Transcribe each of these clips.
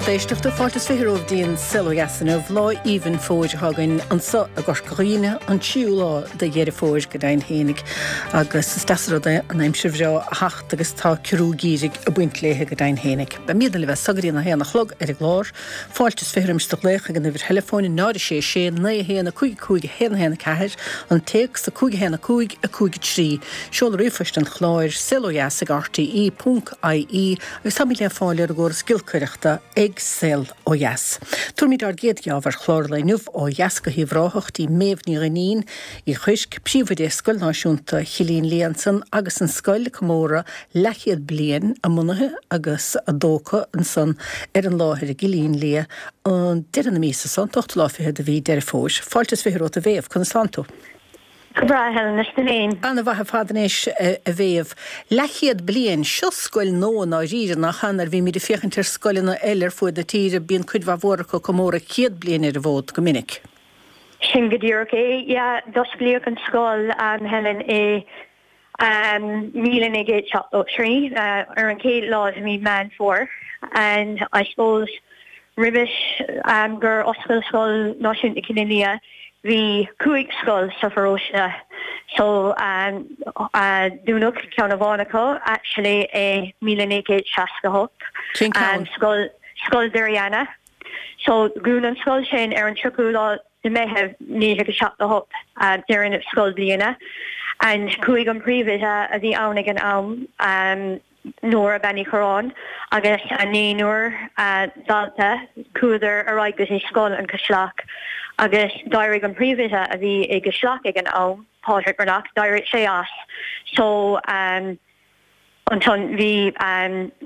Lucht éisteachta, fáilte is 20 romhaibh dtí an Saol Ó Dheas inniu. Lá aoibhinn fómhair atá againn anso i gCorca Dhuibhne, an tríú lá de Dheireadh Fómhair go deimhin fhéinig. Agus is deas an rud é an aimsir bhreá a theacht agus tá ciorrú geimhridh ag baint léithe go deimhin fhéinig. Beimídne libh as so go dtí an 1 a chlog ar an gclár. Fáilte is 20 roimis do ghlaoch ag an uimhir theileafóin 0 6 6 9 1 5 5 1 1 4, an téacs 5 1 5 5 3, seoladh ríomhphoist an chláir, saolodheas ag rte ponc ie, agus táimid le fáil ar an gcóras giolcaireachta ag Saol Ó Dheas. Tabharfaimid ár gcéad gheábh ar chlár an lae inniu ó dheas go hUíbh Ráthach dtí Méabh Ní Dhuinnín Uí Chuirc, Príomhoide Scoil Náisiúnta Chillín Liath ansan agus an scoil ag comóradh leathchéad bliain a mbunaithe agus a dtógtha ansan ar an láthair i gCillín Liath an deireadh na míosa so, an t-ochtú lá fichead de mhí Deireadh Fómhair. Fáilte is 20 romhat a Mhéabh, conas tánn tú? Go breá, a Helen, is tú féin? Ana-mhaith ar fad anois, a Mhéabh. Leathchéad bliain, seo scoil nua i ndáiríre, nach ea? Nuair a bhímid ag féachaint ar scoileanna eile ar fuaid na tíre, bíonn cuid mhaith mhór acu ag comóradh 100 bliain ar an bhfód go minic. Sin go díreach é, yeah. D'osclaíodh an scoil, Helen, i 1973, ar an chéad lá de mhí Meán Fómhair, and I suppose roimhe gur oscail Scoil Náisiúnta Chillín Liath, bhí cúig scoil sa pharóiste so dúnadh ceann amháin acu actually i 1968. Cén ceann? Scoil Scoil Doire Eanna. So dhún an scoil sin ar an 30ú lá de Meitheamh 1978, deireadh na scoilbhliana and chuaigh an príomhoide a bhí ann ag an am, Nóra Bean Uí Chorráin, agus a naonúr dalta, chuadar ar aghaidh go dtí Scoil an Chaisleach agus d'éirigh an príomhoide a bhí i gCaisleach ag an am, Pádraig Breathnach, d'éirigh sé as so ansan bhí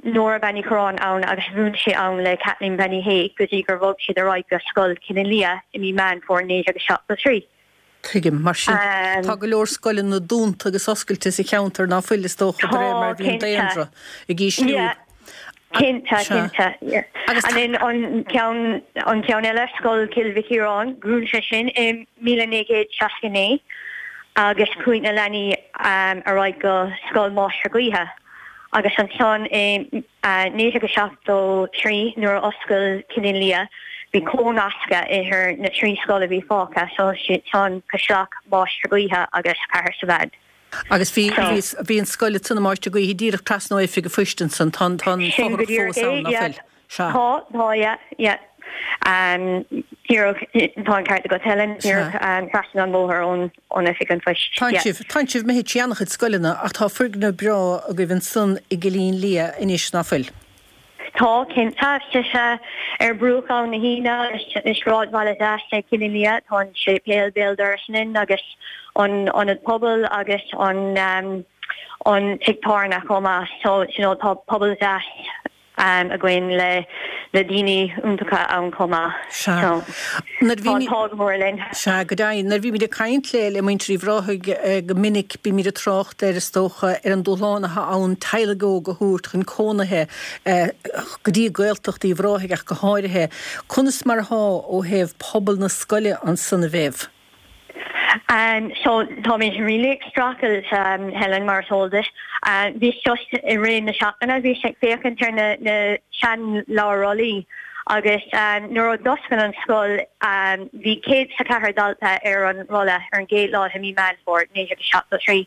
Nóra Bean Uí Chorráin ann agus mhúin sí ann le Kathleen Bean Uí Shé go dtí gur bhog siad ar aghaidh go Scoil Chillín Liath i mí Meán Fómhair 1973. Tuigim. Mar sin, tá go leor scoileanna dúnta agus oscailte sa cheantar ná fuil, is dócha, de réir mar a bhí an daonra ag ísliú. Cinnte, cinnte. Agus And then an ceann, an ceann eile, Scoil Chill Mhic Ciaráin, dhún sé sin i 1969 agus chuaigh na leanaí ar aghaidh go Scoil Máistir Gaoithe. Agus ansan i 1973 nuair a oscail Cillín Liath bhí cónascadh idir na trí scoil a bhí fágtha, so siad san Caisleach, Máistir Gaoithe agus Cahersiveen. Agus bhí, bhí, bhí an scoil ansan i Máistir Gaoithe díreach trasna ó Oifig an Phoist ansan, tá an, tá an Sin go fothrach díreach fós é, ann, nach yeah. bhfuil? Sea. Tá, tá, yeah, yeah. Díreach, tá an ceart agat Helen, díreach trasna an bhóthair ón, ón Oifig an Phoist, Tánn yeah. sibh, tánn sibh imithe trí an-chuid scoileanna ach tá foirgneamh breá agaibh ansan i gCillín Liath anois, ná fuil? Tá, cinnte. Tá sé ar bruach Abhainn na hUíne i sráidbhaile deas é Cillín Liath. Tá an séipéal béal dorais linn agus an ionad pobail agus an an tigh tábhairne chomh maith. So, you know, tá pobal deas againn le le daoine iontacha ann chomh maith. Sea. So, Nuair a tá bhí an t-ádh go mór linn. Sea, go deimhin. Nuair a bhímid ag caint le le muintir Uíbh Ráthaigh go minic, bímid ag trácht air, is dócha, ar an dúshlán atá ann teaghlaigh óga a thabhairt chun cónaithe go dtí Gaeltacht Uíbh Ráthaigh ach go háirithe. Conas mar atá ó thaobh pobal na scoile ansan, a Mhéabh? So táimid really ag streachailt, Helen, mar is eol duit. Bhíos just i rith na seachtaine, bhíos ag féachaint ar na na seanleabhair rollaí agus nuair a d'oscail an scoil bhí 104 dalta ar an rolla ar an gcéad lá de mhí Meán Fómhair 1973.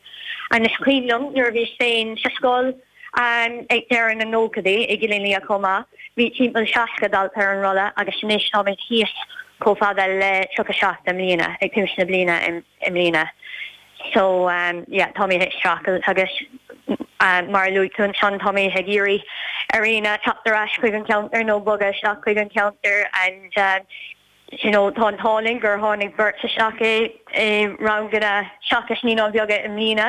And is cuimhin liom nuair a bhíos féin sa scoil, Ag deireadh na nóchaidí i gCillín Liath chomh maith, bhí timpeall 60 dalta ar an rolla agus anois táimid thíos chomh fada le 37 i mbliana, ag tús na bliana i mbliana. So yeah, táimid ag streachailt agus mar a luaigh tú ansan, táimid ag iarraidh ar aoinne teacht ar ais chuig an cheantar nó bogadh isteach chuig an cheantar and you know, tá an t-ádh linn gur tháinig beirt isteach i i ranganna seachas Naíonáin Bheaga i mbliana,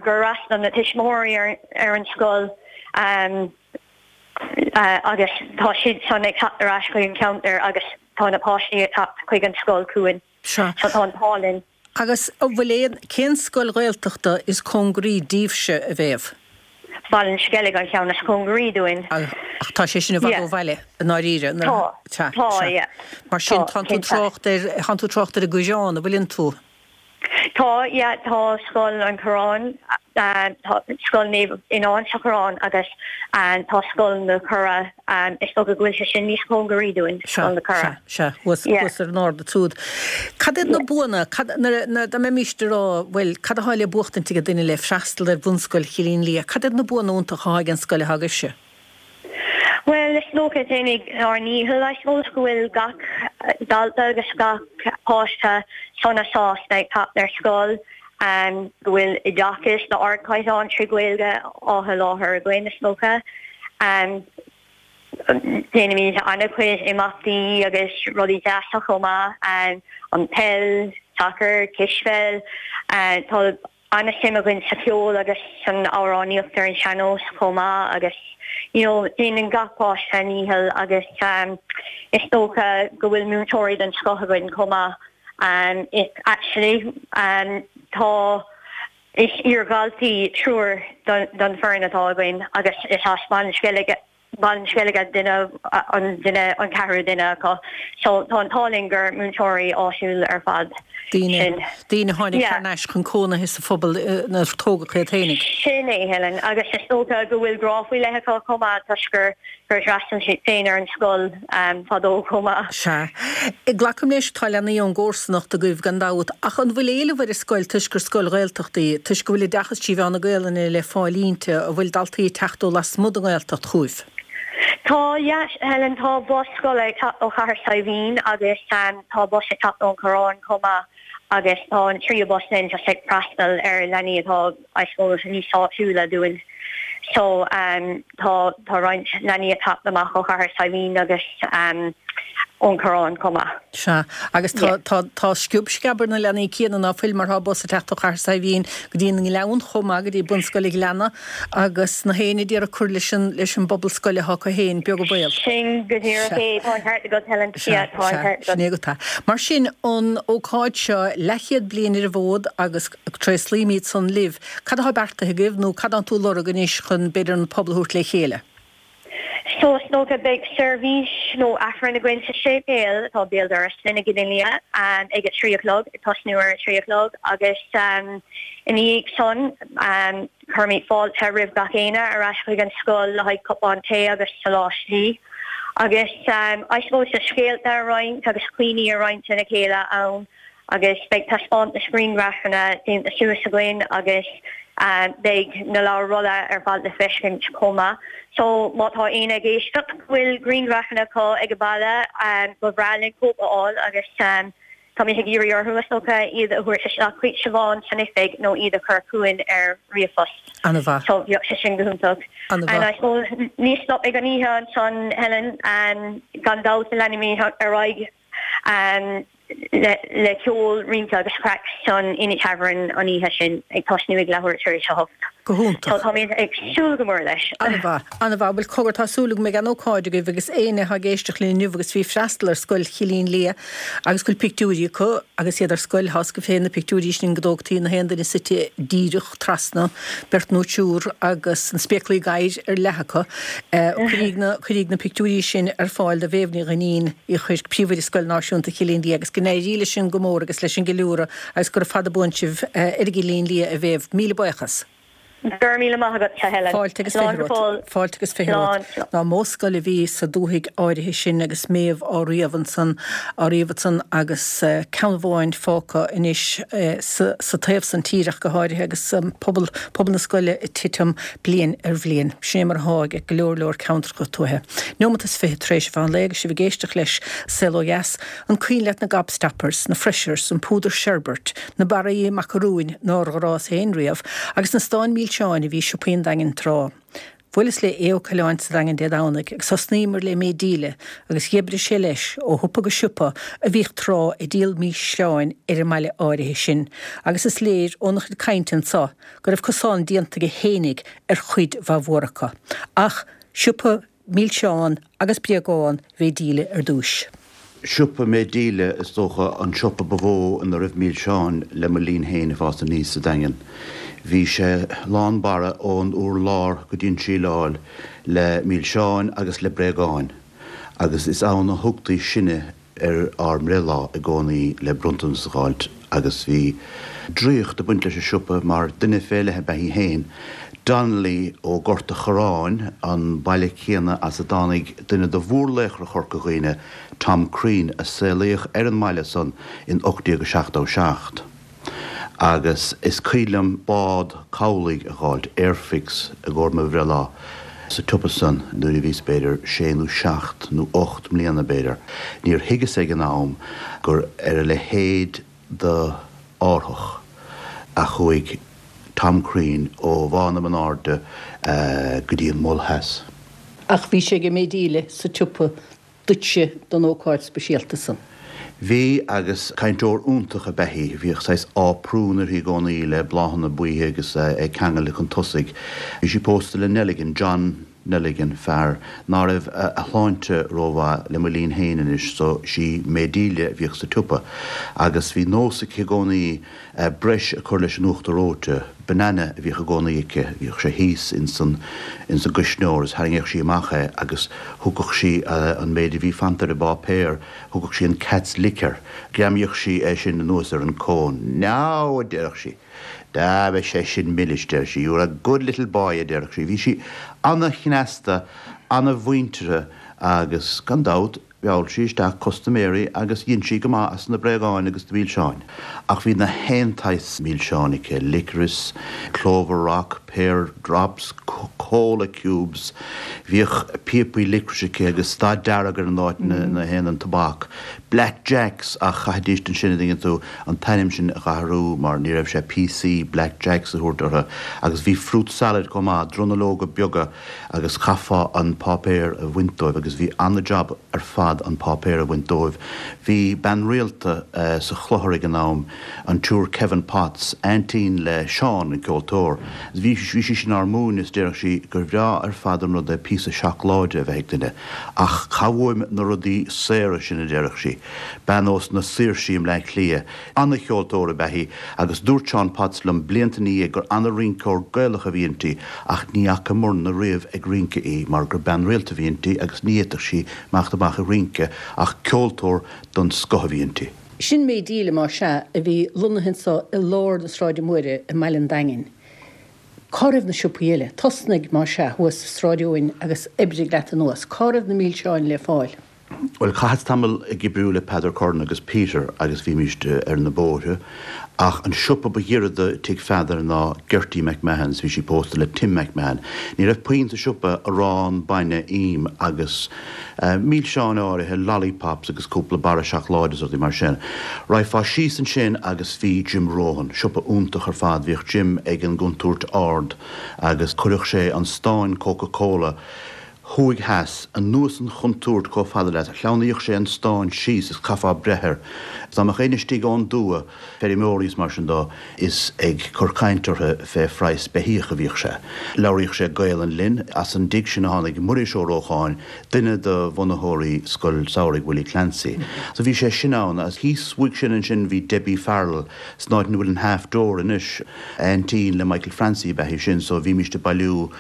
gur fhreastail na tuismitheoirí ar ar an scoil agus tá siad san ag teacht ar ais chuig an cheantar agus tá na páistí ag teacht chuig an scoil chugainn. Sea. So tá an t-ádh linn. Agus an bhfuil aon, cén scoil Ghaeltachta is cóngaraí díbhse, a Mhéabh? Baile an Sceilg an ceann is cóngaraí dúinn. Ach tá sé sin i bhfad ó bhaile, i ndáiríre. Tá, Tá, tá, sea. yeah. Mar sin, Tá, tánn tú cinnte. trácht ar, tánn tú trácht ar an gCaorán, an bhfuileann tú? Tá, yeah, tá Scoil an Chorráin, tá Scoil Naomh Fhionán sa Choireán agus tá Scoil na Cora, is dócha go bhfuil sé sin níos cóngaraí dúinn, Scoil na Cora. Sea, sea, thuas, thuas ar an ard ansiúd. Cad iad na buanna, cad, nuair a, dá mbeimíst ag rá, bhuel, cad atá le buachtaint ag duine le freastal ar Bhunscoil Chillín Liath, cad iad na buanna iontacha atá ag an scoil atá agaibhse? Bhuel, is dócha déanaimid ár ndícheall, I suppose, go bhfuil gach dalta agus gach páiste sona sásta ag teacht ar scoil, go bhfuil oideachas d'ardchaighdeán trí Ghaeilge á sholáthar againn, is dócha. Déanaimid an-chuid imeachtaí agus rudaí deasa chomh maith, an peil, sacar, cispheil, tá an-suim againn sa cheol agus san amhránaíocht ar an sean-nós chomh maith agus you know déanann gach páiste a ndícheall agus is dócha go bhfuil múinteoirí den scoth againn chomh maith. Actually tá is iar-dhaltaí triúr don foireann atá againn agus is as Baile an Sceilg Baile an Sceilg duine an duine an ceathrú duine acu. So tá an t-ádh linn gur múinteoirí áitiúil ar fad Daoine, sinn. daoine a tháinig thar n-ais chun cónaithe sa phobal inar tógadh iad fhéinig. Sin é, Helen, agus is dócha go bhfuil grá faoi leith acu chomh maith toisc gur gur d'fhreastail siad féin ar an scoil fadó chomh maith. Sea. Glacaim leis, tá leanaí ón gcomharsanacht agaibh gan dabht, ach an bhfuil éileamh ar an scoil toisc gur scoil Ghaeltachta í, toisc go bhfuil oideachas trí mheán na Gaelainne le fáil inti, an bhfuil daltaí ag teacht ó lasmuigh den nGaeltacht chugaibh? Tá, yeah, Helen, tá bus scoile ag teacht ó Chathair Saidhbhín agus tá bus ag teacht ón Choireán chomh maith agus tá an tríú bus linn just ag freastal ar leanaí atá, I suppose, níos áitiúla dúinn. So tá tá roinnt leanaí ag teacht amach ó Chathair Saidhbhín agus ón Choireán chomh maith. Sea. Agus tá tá tá sciob sceab ar na leanaí céanna ná fuil mar tá bus ag teacht ó Chathair Saidhbhín go dtí an nGleann chomh maith, go dtí Bunscoil an Ghleanna agus na héinne ag iarraidh cur leis an leis an bpobal scoile atá acu féin, beag an baol. Sin go díreach é. Tá an ceart agat, Helen. Sea, Yeah, tá an sea, ceart agat. sin é agat é. Mar sin, an ócáid seo, leathchéad bliain ar an bhfód agus tréaslaímid san libh. Cad atá beartaithe agaibh nó cad atánn tú ag lorg anois chun, b'fhéidir, an pobal a thabhairt le chéile? So, is dócha, beidh seirbhís nó Aifreann againn sa séipéal atá béal dorais linn i gCillín Liath ag a 3 a chlog, ag tosnú ar a 3 a chlog agus ina dhiaidh san cuirfimid fáilte roimh gach éinne ar ais chuig an scoil le haghaidh cupán tae agus soláistí agus I suppose scéalta a roinnt agus cuimhní a roinnt lena chéile ann. agus beidh taispeántas grianghrafanna déanta suas againn agus beidh na leabhair rolla ar fad le feiscint chomh maith. So má tá éinne ag éisteacht go bhfuil grianghrafanna acu ag baile ba bhreá linn cóip a fháil agus táimid ag iarraidh orthu is dócha iad a thabhairt isteach chuig Siobhán san oifig nó iad a chur chugainn ar ríomhphost. An-mhaith. So bheadh sé sin go hiontach. An-mhaith. And I suppose ní stopfaidh an oíche ansan Helen, gan dabht leanfaimid ar aghaidh le ceol, rince agus craic san Inny Tavern an oíche sin, ag tosnú ag leathuair tar éis a hocht. Go hiontach. So táimid ag súil go mór leis. An-mhaith, an-mhaith. Bhuel, cogar, tá súil agam go mbeidh an-ócáid agaibh agus éinne atá ag éisteacht linn inniu agus bhí ag freastal ar scoil Chillín Liath agus go bhfuil pictiúirí acu agus iad ar scoil, tá a fhios agaibh féin na pictiúirí sin go dtógtaí na haon duine suite díreach trasna, beirt nó triúr agus na spéaclaí gadhair ar leath acu. Cuiríg na, cuiríg na pictiúirí sin ar fáil do Mhéabh Ní Dhuinnín. Uí Chuirc, Príomhoide Scoil Náisiúnta Chillín Liath agus go n-éirí leis sin go mór agus leis an gceiliúradh agus gura fada buan sibh ar an gCillín Liath a Mhéabh. Míle buíochas. Go raibh míle maith agat, a Helen. Fáilte agus Slán 20 go romhat. fóill. Fáilte agus 20 romhat. Slán. Ná mó scoil a bhí sa dúthaigh áirithe sin agus Méabh á ríomh ansan, á ríomh ansan agus ceann amháin fágtha anois sa, sa taobh san tíre ach go háirithe agus pobal, pobal na scoile ag titim bliain ar bhliain. Sin é mar atá ag go leor leor ceantracha tuaithe. Neomat is 20 tar éis an mheán lae agus sibh ag éisteacht leis Saol Ó Dheas, an cuimhin leat na gobstoppers, na freshers, an púdar sherbert, na barraí macarúin nár ghrás féin riamh, agus na stáin milseáin a bhí i siopaí an Daingin tráth. Bhuaileas le Aodh Ó Coileáin sa Daingean Dé Domhnaigh agus thosnaíomar le Méith Díle agus dheifrigh sé leis ó shiopa go siopa a bhíodh tráth ag díol mísleáin ar an mbaile áirithe sin agus is léir óna chuid cainte anso go raibh cosán déanta aige fhéinig ar chuid mhaith mhór acu. Ach siopa milseán agus bréagán Mhéith Díle ar dtúis. Siopa Mhéith Díle is dócha an siopa ba mhó ina raibh milseáin le mo linn féin ag fás aníos sa Daingean. Bhí sé lán barra ón urlár go dtí an tsíleáil le milseáin agus le bréagáin agus is ann a thugtaí sinne ar ár mbreithlá i gcónaí le bronntanas a dh'fháilt. Agus bhí draíocht ag baint leis an siopa mar duine fé leith ab ea í féin, Donnelly ó Gort a' Chorráin, an baile céanna as a dtáinig duine de mhórlaochra Chorca Dhuibhne, Tom Crean, a saolaíodh ar an mbaile san in 1877. Agus is cuimhin liom bád cabhlaigh a dh'fháilt, Airfix, i gcomhair mo bhreithlá sa tsiopa san nuair a bhíos b'fhéidir sé nó seacht nó ocht mbliana b'fhéidir. Níor thuigeas ag an am gur ar a leithéid de árthach a chuaigh Tom Crean ó Bhá na Banairde go dtí an Mol Theas. Ach bhí sé ag May Delia sa tsiopa duitse don ócáid speisialta san. Bhí, agus cainteoir iontach ab ea í. Bhíodh saghas áprún uirthi i gcónaí le bláthanna buíthe agus é ceangailte chun tosaigh. Bhí sí pósta le Nelligan, John Nelligan, fear ná raibh a shláinte rómhaith le mo linn féin anois, so sí May Delia a bhíodh sa tsiopa. Agus bhí nós aici i gcónaí breis a cur leis an uachtar reoite, banana a bhíodh i gcónaí aici, bhíodh sé thíos ins an ins an gcuisneoir is tharraingeodh sí amach é agus thugadh sí an méid a bhí fanta ar an bpáipéar, thugadh sí an cat's lick air, ghreamaíodh sí é sin anuas ar an cone. Now, a déarfadh sí, dá mbeadh sé sin milis, deir sí, you're a good little boy, a déarfadh sí. Bhí sí ana-chneasta, ana-mhuinteartha agus, gan dabht, Mheall sí isteach custaiméirí agus dhein sí go maith as na bréagáin agus na milseáin. Ach bhí na haon tsaghas milseáin aici, licorice, clover rock, pear drops, cola cubes. Bhíodh píopaí licorice aici agus dath dearg ar an áit ina théann an tobac. Black Jacks ach chaithfidís ansin, an dtuigeann tú, an t-ainm sin a dh'athrú mar ní raibh sé PC Black Jacks a thabhairt orthu. Agus bhí fruit salad chomh maith, dronuilleoga beaga. agus chaithfeá an páipéar a bhaint dóibh agus bhí ana-jab ar fad an páipéar a bhaint dóibh. Bhí bean rialta sa chlochar ag an am, an tSiúr Kevin Potts, aintín le Seán, an ceoltóir. Bhí bhí sí sin ár múineadh is déarfadh sí gur bhreá ar fad an rud é píosa seacláide a bheith ag duine. Ach cha bhfuaim na rudaí saora sin a déarfadh sí. Bean ós na Saoirsí i mBleá Cliath. Ana-cheoltóir ab ea í agus dúirt Seán Potts liom blianta ina dhiaidh gur ana-rinceoir Gaelach a bhí inti ach ní fhacamarna riamh ag rince í mar gur bean rialta a bhí inti agus ní fhéadfadh sí imeacht amach ag rince ach ceoltóir don scoth a bhí inti. Sin May Delia más ea a bhí lonnaithe anso i lár na Sráide Móire i mBaile an Daingin. Cá raibh na siopaí eile? Tosnaigh, más ea, thuas i Sráid Eoin agus oibrigh leat anuas. Cá raibh na milseáin le fáil? Bhuel, chaitheas tamall ag oibriú le Peadar Curran agus Peter agus bhímíst ar na bóithre, ach an siopa ba ghiorra do tigh Pheadair ná Gertie McMahon's, bhí sí pósta le Tim McMahon. Ní raibh puinn sa siopa, arán, bainne, im agus milseáin áirithe, lollipops agus cúpla barra seacláide is rudaí mar sin. Raghfá síos ansin agus bhí Jim Rohan, siopa iontach ar fad, bhíodh Jim ag an gcontúirt ard agus chuireadh sé an stán Coca Cola, Thuaidh theas, anuas an chontúirt chomh fada leat, shleamhnaíodh sé an stán síos is chaithfeá breith air. Is dá mbeadh éinne istigh ón dtuath, feirmeoirí is mar sin dó, is ag cur caint orthu fé phraghas beithíoch a bhíodh sé. Labhraíodh sé Gaelainn linn. As an dtigh sin a tháinig Muiris Ó Rócháin, duine de bhunaitheoirí Scoil Samhraidh Willie Clancy. So bhí sé sin ann. Agus thíos uaidh sin ansin bhí Debbie Farrell, san áit ina bhfuil an Half Door anois. Aintín le Michael Francie ab ea í sin, so bhímíst ag bailiú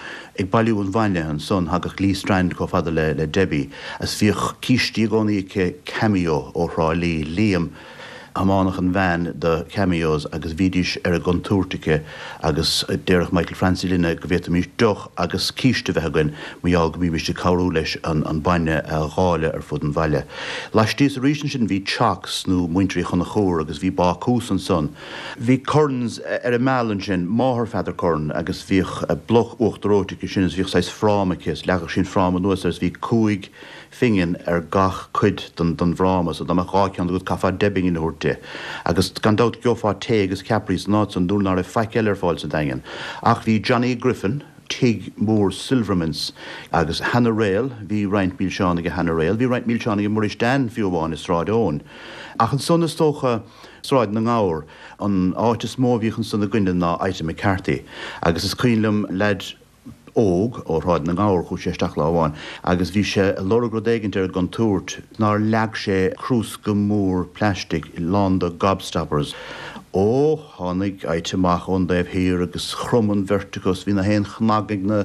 Ag bailiú an bhainne ansan thagadh Lee Strand chomh fada le le Debbie agus bhíodh cístí i gcónaí aici Cameo ó Thrá Lí, Liam thiomáineadh an veain do Cameos agus bhídís ar an gcontúirt aici agus déarfadh Michael Francie linne go bhféadfaimís deoch agus císte a bheith againn mar gheall go mbímíst ag cabhrú leis an an bainne a dháileadh ar fud an bhaile. Laistíos arís ansin bhí Chocks nó Muintir Uí Chonchúir agus bhí bácús ansan. Bhí Currans ar an Meal ansin, máthair Pheadar Curran, agus bhíodh bloc uachtar reoite aici sin is bhíodh saghas fráma aici is leagadh sí an fráma anuas air is bhí cúig phingin ar gach cuid den den bhfráma so dá mbeadh dhá cheann agat chaithfeá deich bpingin a thabhairt di. Agus gan dabht gheofá tae agus ceapairí san áit san nuair ná raibh faic eile ar fáil sa Daingean. Ach bhí Johnny Griffin, tigh mór Silvermans agus Hannah Rail, bhí roinnt milseán aige Hannah Rail, bhí roinnt milseán aige Muiris Dan fiú amháin i Sráid Eoin. Ach ansan is dócha, Sráid na nGabhar. An áit is mó a bhíodh ansan againne ná Ita McCarthy. Agus is cuimhin liom leaid óg ó Shráid na nGabhar, chuaigh sé isteach lá amháin agus bhí sé ag lorg rud éigint ar an gcontúirt nár leag sé crúsca mór plaistigh lán de gobstoppers. Ó, tháinig Ita amach ón dtaobh thiar agus chrom an bheirt acu is bhí na haon chnag ag na.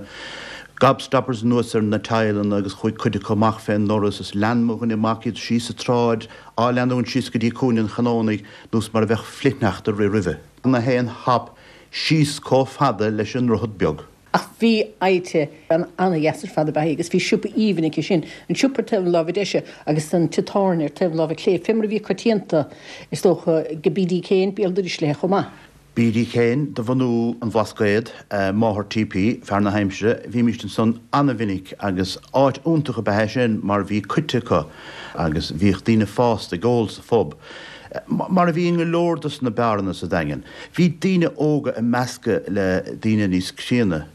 Gobstoppers anuas ar na tadhlanna agus chuaigh cuid acu amach fén ndoras is lean mo dhuine mac iad síos an tsráid, á leanúint síos go dtí Cúinne an Chanónaigh nós mar a bheadh flichshneachta ag rith roimhe. Na haon hop síos comh fada leis an nDroichead Beag. Ach bhí oidhte, bean ana-dheas ar fad ab ea í agus bhí siopa aoibhinn aici sin, an siopa ar taobh na láimhe deise agus an tigh tábhairne ar taobh na láimhe clé, fé mar a bhí coitianta, is dócha, ag B.D. Kane, béal dorais léi chomh maith. B.D. Kane de bhunú an Bhlascaoid, máthair T.P., fear na haimsire, bhímíst ansan ana-mhinic agus áit iontach ab ea é sin mar bhí coite acu agus bhíodh daoine fásta ag ól sa phub, mar a bhí i ngo leor dos na beáranna sa Daingean. Bhí daoine óga ag meascadh le daoine níos críonna.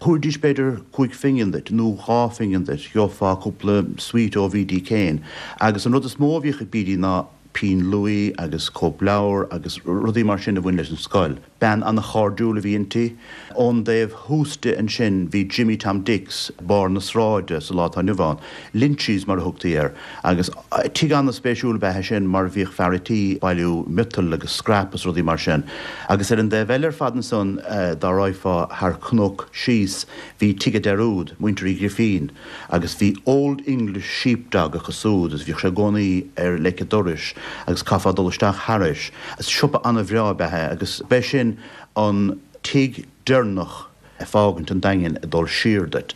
Thabharfaidís b'fhéidir chúig phingin duit nó dhá phingin duit, gheofá cúpla sweet ó B.D. Kane agus an rud is mó a bhíodh ag B.D. ná pinn luaí agus cóipleabhair agus rudaí mar sin a bhain leis an scoil. Bean ana-chairdiúil a bhí inti. Ón dtaobh thuas di ansin bhí Jimmy Tom Dicks, barr na sráide sa lá atá inniu ann, Lynchys mar a thugtaí air, agus tigh ana-spéisiúil ab ea é sin mar bhíodh fear a' tí ag bailiú miotail agus scrap is rudaí mar sin. Agus ar an dtaobh eile ar fad ansan dá raghfá thar cnoc síos bhí Tigh a' Dearúd, muintir Uí Ghrifín, agus bhí Old English Sheep Dog acu súd agus bhíodh sé i gcónaí ar leic a' dorais agus chaithfeá dul isteach thairis. Siopa ana-bhreá ab ea é agus b'é sin an tigh deireanach ag fágaint an Daingin ag dul siar duit.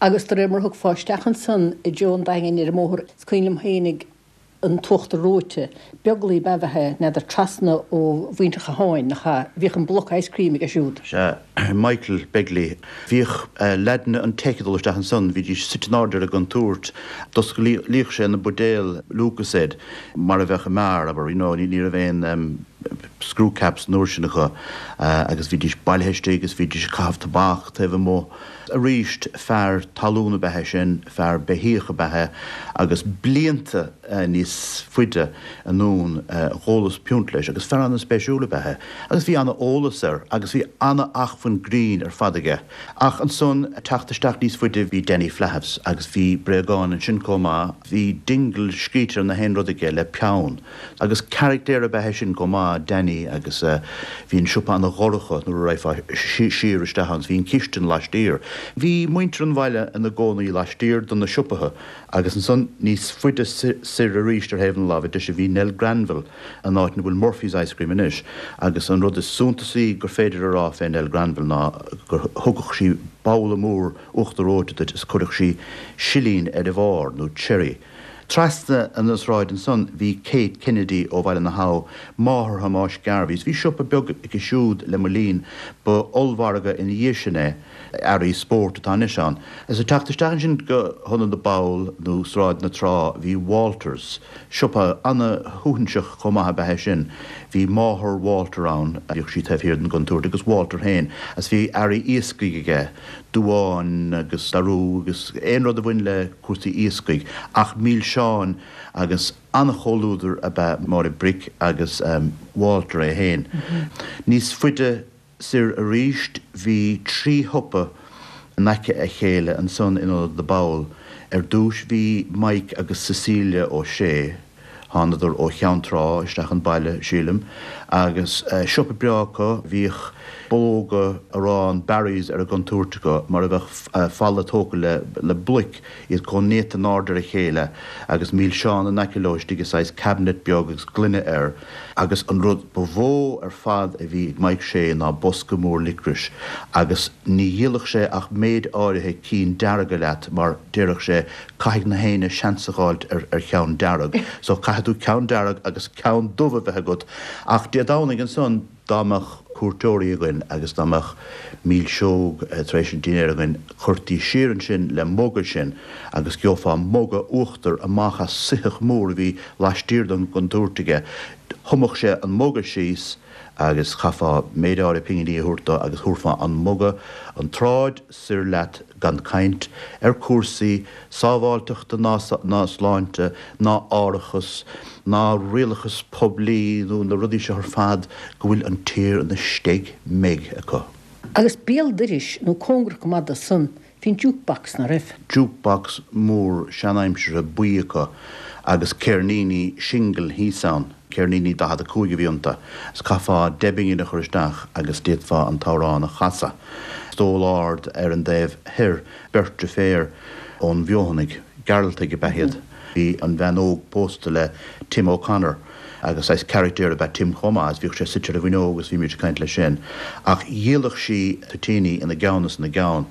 Agus de réir mar a thiocfá isteach ansan i dtreo an Daingin ar an mbóthar, is cuimhin liom fhéinig an t-uachtar reoite, Beaglaoi ab ea é, n'fheadar, trasna ó mhuintir Chatháin, nach ea? Bhíodh an bloc ice cream aige siúd. Sea, Michael Begley. Bhíodh leaideanna an Tech ag dul isteach ansan, bhídís suite in airde ar an gcontúirt. D'osclaíodh sé na buidéil Lucozade mar a bheadh i mbeár, abair, you know, ní raibh aon screw caps an uair sin acu agus bhídís bailithe istigh agus bhídís ag caitheamh tobac taobh amuigh. Arís, fear talún ab ea é sin, fear beithíoch ab ea é agus blianta níos faide anonn dhólas piúnt leis agus fear ana-spéisiúil ab ea é agus bhí ana-eolas air agus bhí ana-acmhainn grinn ar fad aige. Ach ansan, teacht isteach níos faide bhí Danny Flahiff's agus bhí bréagáin ansin chomh maith, bhí Dingle scríte ar na haon rud aige le peann. Agus caractéir ab ea é sin chomh maith, Danny, agus bhí an siopa ana-dhorcha nuair a raghfá siar isteach ann, bhí an chistin laistiar. Bhí muintir an bhaile ina gcónaí laistiar de na siopaithe agus ansan níos faide soir arís ar thaobh na láimhe deise bhí Nell Granville, an áit ina bhfuil Murphy's Ice Cream anois, agus an rud is suntasaí gur féidir a rá fé Nell Granville ná gur thugadh sí babhla mór uachtar reoite duit is chuireadh sí silín ar a bharr, nó cherry. Trasna an tsráid ansan bhí Kate Kennedy ó Bhaile na hAbha, máthair Thomáis Garvey. Bhí siopa beag aici siúd le mo linn, ba ollmhargadh ina dhiaidh sin é, earraí spóirt atá anois ann. Is ag teacht isteach ansin go hIonad na bPoll nó Sráid na Trá bhí Walters, siopa ana-shuaithinseach chomh maith ab ea é sin. Bhí máthair Walter ann, bhíodh sí taobh thiar den gcontúirt, agus Walter féin, agus bhí earraí iascaigh aige, duáin agus darú agus aon rud a bhain le cúrsaí iascaigh, ach milseáin agus an-chomhluadar ab ea Máire Bric agus Walter é féin. Níos faide soir arís bhí trí shiopa in aice a chéile ansan in Ionad na bPoll. Ar dtúis bhí Mike agus Cecilia Ó Sé. Thánadar ó Cheann Trá isteach an baile, sílim, agus siopa breá acu. Bhíodh bulóga arán Barry's ar an gcontúirt acu, mar a bheadh falla tógtha le bloic, iad chomh néata in airde ar a chéile, agus milseáin in aice leo istigh i saghas cabinet beag agus gloine air. Agus an rud ba mhó ar fad a bhí ag Mike Shea ná bosca mór licris, agus ní dhíolfadh sé ach méid áirithe cinn dearga leat mar déarfadh sé Caithfidh na héinne seans a dh'fháilt ar cheann dearg. So caithfidh tú ceann dearg agus ceann dubh a bheith agat. Ach Dé Domhnaigh ansan, dá mbeadh cuairteoirí againn agus dá mbeadh milseog tar éis an dinnéir againn, chuirtí siar ansin le muga sinn agus gheofá muga uachtair amach as soitheach mór a bhí laistiar den gcontúirt aige. Thumadh sé an muga síos agus chaithfeá méid áirithe pinginí a thabhairt dó agus thabharfá an muga an tsráid soir leat gan caint ar cúrsaí sábháilteachta ná ná sláinte ná árachas ná rialachas poiblí nó na rudaí seo ar fad go bhfuil an tír ina steig meig acu. Agus béal dorais nó cóngarach go maith do san, bhí an jukebox, ná raibh? Jukebox mór seanaimseartha buí acu. agus ceirníní singil thíos ann, ceirníní 45 a bhí iontu, is chaithfeá deich bpingin a chur isteach agus d'fhéadfá an t-amhrán a chasadh. Stól ard ar an dtaobh thoir, beirt deirféar ón bhFeothanaigh, Gearaltaigh ab ea iad. Bhí an bhean óg pósta le Tim O'Connor agus saghas caractéir ab ea Tim chomh maith is bhíodh sé suite ar an bhfuinneog agus bhímid ag caint leis sin. Ach dhíoladh sí toitíní ina gceann is ina gceann.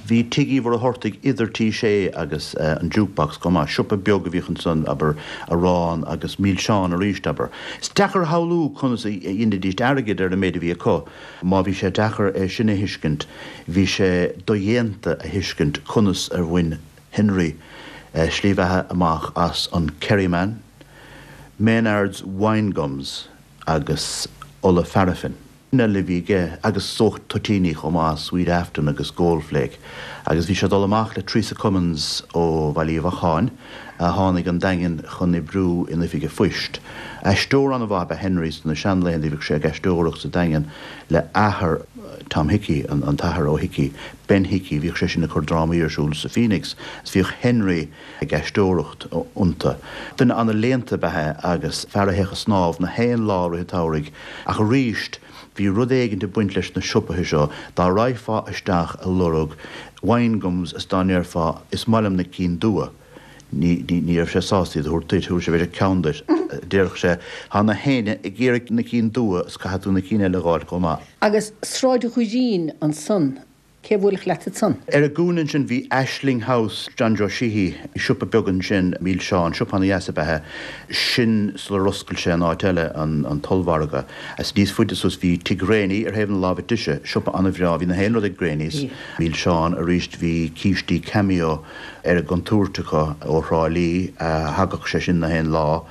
Bhí Tigh Uí Mhuircheartaigh idir Tí Sé agus an Jukebox chomh maith. Siopa beag a bhíodh ansan, abair, arán agus milseáin arís, abair. Is deacair a shamhlú conas a dheinidís airgead ar an méid a bhí acu. Má bhí sé deacair é sin a thuiscint, bhí sé dodhéanta a thuiscint conas ar bhain Henry slí bheatha amach as an Kerryman, Maynards Wine Gums agus ola pharaifin. eile a bhí aige agus is dócha toitíní chomh maith, Sweet Afton agus Goldflake. Agus bhí sé ag dul amach le Teresa Cummins ó Bhaile Uí Bheacháin a tháinig 'on Daingean chun oibriú in oifig a phoist. Aisteoir an-mhaith ab ea Henry sna seanlaethanta, bhíodh sé ag aisteoireacht sa Daingean le athair Tom Hickey, an tAthair Ó hIcí, Ben Hickey, bhíodh sé sin ag cur drámaí ar siúl sa Phoenix is bhíodh Henry ag aisteoireacht iontu. Duine ana-léannta ab ea é agus fear a théadh ag snámh na haon lá i rith an tsamhraidh ach arís bhí rud éigint ag baint leis na siopaithe seo, dá raghfá isteach ag lorg wine gums is dá ndéarfá is maith liom na cinn dubha ní ní raibh sé sásta iad a thabhairt duit, thabharfadh sé b'fhéidir ceann duit, déarfadh sé tá na héinne ag iarraidh na cinn dubha is caithfidh tú na cinn eile a dh'fháil chomh maith. Agus Sráid Dhoirín ansan, cé a bhuailfeadh leat ansan? Ar an gcúinne ansin bhí Aisling House, John Joe Sheehy, siopa beag ansin, milseáin, siopa ana-dheas ab ea é sin sular oscail sé an áit eile, an t-ollmhargadh. Is níos faide suas bhí Tigh Ghréiní ar thaobh na láimhe deise, siopa ana-bhreá, bhí na haon rud ag Gréiní's, milseáin, arís bhí cístí Cameo ar an gcontúirt acu ó Thrá Lí, thagadh sé sin na haon lá.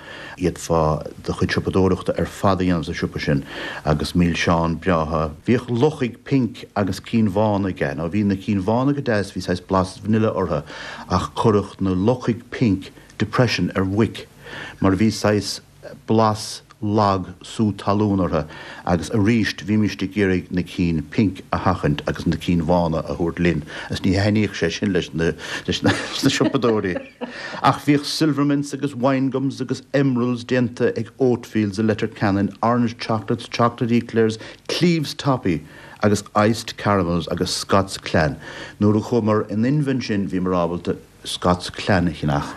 D'fhéadfá do chuid siopadóireachta ar fad a dhéanamh sa siopa sin agus milseáin breátha. Bhíodh luchaigh pink agus cinn bhána aige. Now bhí na cinn bhána go deas, bhí saghas blas vanilla orthu ach chuirfeadh na luchaigh pink depression ar mhuic mar bhí saghas blas lag sú talún orthu agus aríst bhímíst ag iarraidh na cinn pink a sheachaint agus na cinn bhána a thabhairt linn agus ní thaitníodh sé sin leis na leis na siopadóirí. Ach bhíodh Silvermints agus Wine Gums agus Emeralds déanta ag Oatfields i Leitir Ceanainn, Orange Chocolates, Chocolate Eclairs, Cleeves Toffee agus Iced Caramels agus Scots Clan. Nuair a chuamar in inmhe ansin bhíomar ábalta Scots Clan a cheannach,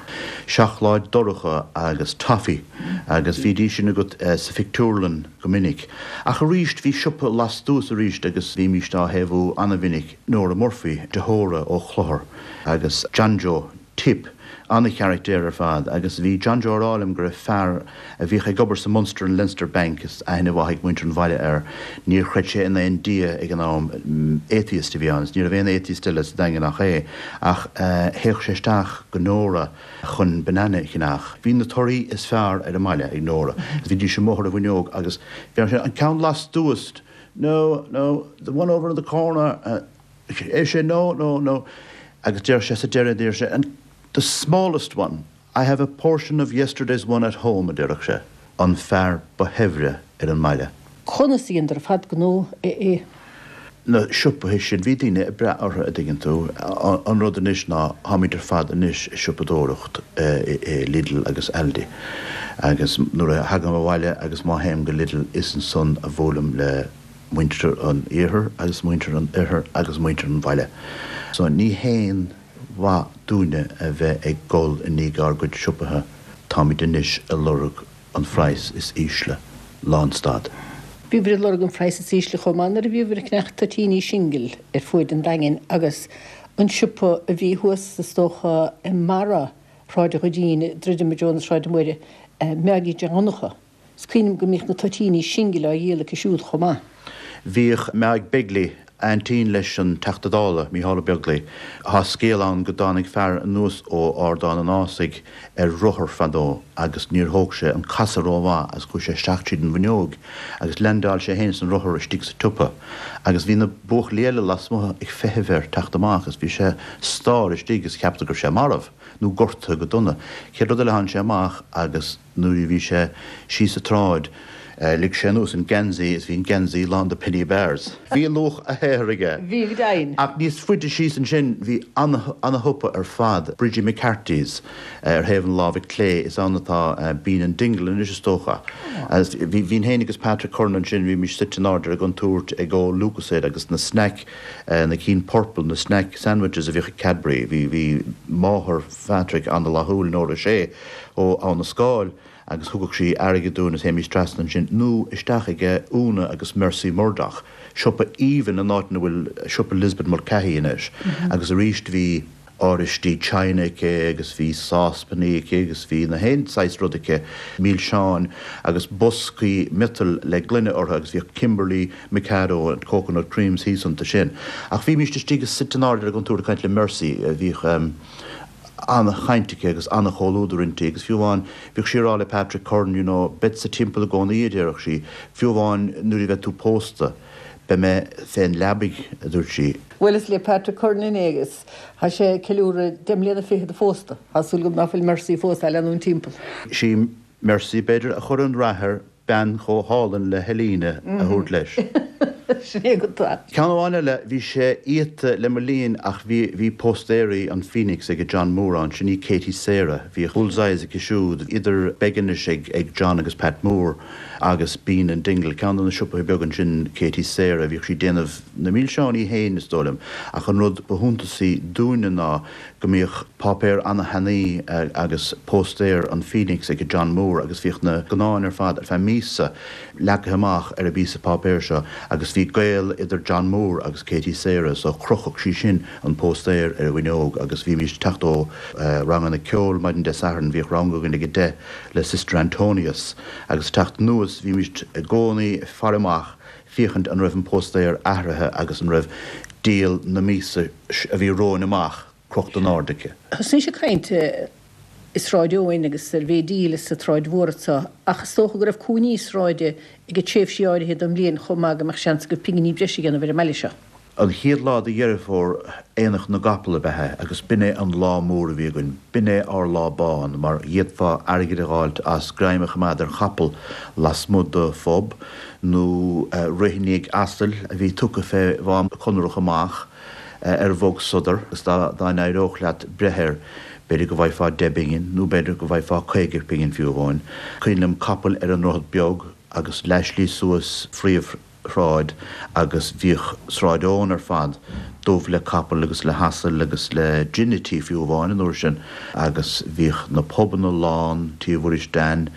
seacláid dorcha agus toffee agus bhídís sin agat sa phictiúrlann go minic. Ach arís bhí siopa lastuas arís agus bhímíst á thaobhú ana-mhinic, Nora Murphy, deartháir ó Chlochar agus John Joe Tip, ana-charactéir ar fad agus bhí John Joe a rá liom go raibh fear a bhíodh ag obair sa Munster and Leinster Bank, is aithne mhaith ag muintir an bhaile air, níor chreid sé in aon Dia ag an am, atheist a bhí ann, is ní raibh aon atheist eile sa Daingean ach é, ach théadh sé isteach go Nóra chun banana a cheannach. Bhí na torthaí is fearr ar an mbaile ag Nóra, agus bhídís amuigh ar an bhfuinneog agus bheadh sé, an ceann lastuas, no, no, the one over in the corner, ar sé, no, no, no, agus deir sé sa deireadh, deir sé, and the smallest one, I have a portion of yesterday's one at home, a déarfadh sé, an fear ba shaibhre ar an mbaile. Conas a dheineadar ar fad gnó i. na siopaithe sin, bhí daoine ag brath orthu, a' dtuigeann tú. An rud anois ná, táimid ar fad anois ag siopadóireacht i Lidl agus Aldi agus nuair a thagaim abhaile agus má théim go Lidl is ansan a bhuailim le muintir an iarthair agus muintir an oirthir agus muintir an bhaile. So ní haon mhaith dúinne a bheith ag gol i ndiaidh ár gcuid siopaithe, táimid anois ag lorg an phraghas is ísle. Lánstad. Bhíobhair ag lorg an phraghas is ísle chomh maith nuair a bhíobhair ag ceannach toitíní singil ar fuaid an Daingin agus an siopa a bhí thuas is dócha i mbarra Shráid Dhoirín, ag druidim i dtreo na Sráide Móire, Meáigí Mhic Dhonncha. Is cuimhin liom go mbíodh na toitíní singil á dhíol aici siúd chomh maith. Bhíodh Meáig Begley, aintín leis an Teachta Dála, Mícheál Ó Beaglaoi. Tá scéal ann go dtáinig fear anuas ó Ardán an Ásaigh ar rothar fadó agus níor thóg sé an casadh rómhaith agus chuaigh sé isteach tríd an bhfuinneog agus leaindeáil sé féin is an rothar istigh sa tsiopa agus bhí na buachaillí eile lasmuigh ag feitheamh air teacht amach agus bhí sé stár istigh agus cheapadar go raibh sé marbh nó gortaithe go dona. Chéad rud eile tháinig sé amach agus. Nuair a bhí sé síos an tsráid. Lig sé anuas an geansaí is bhí an geansaí lán de penny bars. Bhí luach a shaothair aige. Bhí go deimhin. Ach níos faide síos ansin bhí ana-shiopa ar fad, Bridgie McCarthy's, ar thaobh na láimhe clé, is ann atá Bean and Dingle anois is dócha. Bhínn féin agus Patrick Curran ansin, bhímis suite in airde ar an gcontúirt ag ól Lucozade agus na snaic, na cinn purple, na snack sandwiches a bhíodh ag Cadbury. Bhí, bhí máthair Phatrick ana-fhlaithiúil, Nóra Shea ó Abha na Scáil. agus thugadh sí airgead dúinn is théimis trasna ansin nó isteach ag Úna agus Mercy Murdoch, siopa aoibhinn an áit ina bhfuil siopa Lisbeth Mulcahy anois agus arís bhí áiristí china aici agus bhí sáspannaí aici agus bhí na haon saghas rud aici, milseáin agus boscaí miotail le gloine orthu agus bhíodh Kimberley, Mikado and coconut creams thíos iontu sin. Ach bhímíst istigh suite in airde ar an gcontúirt ag caint le Mercy, bhíodh. an-chaint aici agus an-chomhluadar inti agus fiú amháin bhíodh sí ag rá le Patrick Curran you know beadsa timpeall i gcónaí a déarfadh sí, fiú amháin nuair a bheidh tú pósta beidh mé fén leabaidh a dúirt sí. Bhuaileas le Patrick Curran inné agus tá sé ag ceiliúradh deich mbliana fichead phósta. Tá súil agam ná fuil Mercy fós á leanúint timpeall. Sí Mercy b'fhéidir a chuir an rath air bean chomh hálainn le Helena a thabhairt leis. Sin é go tá. Ceann amháin eile, bhí sé iata le mo linn ach bhí, bhí póstaeirí an Phoenix ag John Moore ann, sin í Katie Sarah, bhíodh bullseyes aici siúd, idir Beginish ag, ag John agus Pat Moore agus Bean and Dingle, ceann de na siopaithe beaga ansin, Katie Sarah, bhíodh sí ag déanamh na milseáin í féin is dóigh liom, ach an rud ba shuntasaí dúinne ná go mbíodh páipéar ana-thanaí agus póstaer an Phoenix ag John Moore agus bhíodh na scannáin ar fad ar feadh míosa leagtha amach ar an bpíosa páipéir seo agus bhí gaol idir John Moore agus Katie Sarah so chrochfadh sí sin an póstaer ar an bhfuinneog agus bhímís ag teacht ó ranganna ceoil maidin Dé Sathairn, bhíodh rang againn ag a deich le Sister Antonius agus ag teacht anuas bhímís i gcónaí ag faire amach féachaint an raibh an póstaer athraithe agus an raibh díol na míosa a bhí romhainn amach crochta in airde aici. Thosnaís ag caint i Sráid Eoin agus ar Bhéidíl is sa tSráid Mhór anso ach is dócha go raibh cúinní sráide ag tréimhsí áirithe den bhliain chomh maith go mbeadh seans agaibh pinginí breise a dhéanamh ar an mbaile seo. An chéad lá de Dheireadh Fómhair, Aonach na gCapall ab ea é agus b'in é an lá mór a bhí againn. B'in é ár lá bán mar d'fhéadfá airgead a dh'fháilt as greim a choimeád ar chapall lasmuigh de phub nó rith i ndiaidh asail a bhí tugtha fé Mhám Conrach amach ar bhog sodar agus dá n-éireodh leat breith air b'fhéidir go bhfaighfeá deich bpingin nó b'fhéidir go bhfaighfeá 50 pingin fiú amháin. Cuimhin liom capaill ar an nDroichead Beag agus leathshlí suas phríomhshráid agus bhíodh Sráid Eoin ar fad dubh le capaill agus le hasail agus le ginití fiú amháin an uair sin agus bhíodh na pubanna lán, Tí Mhuiris Dan,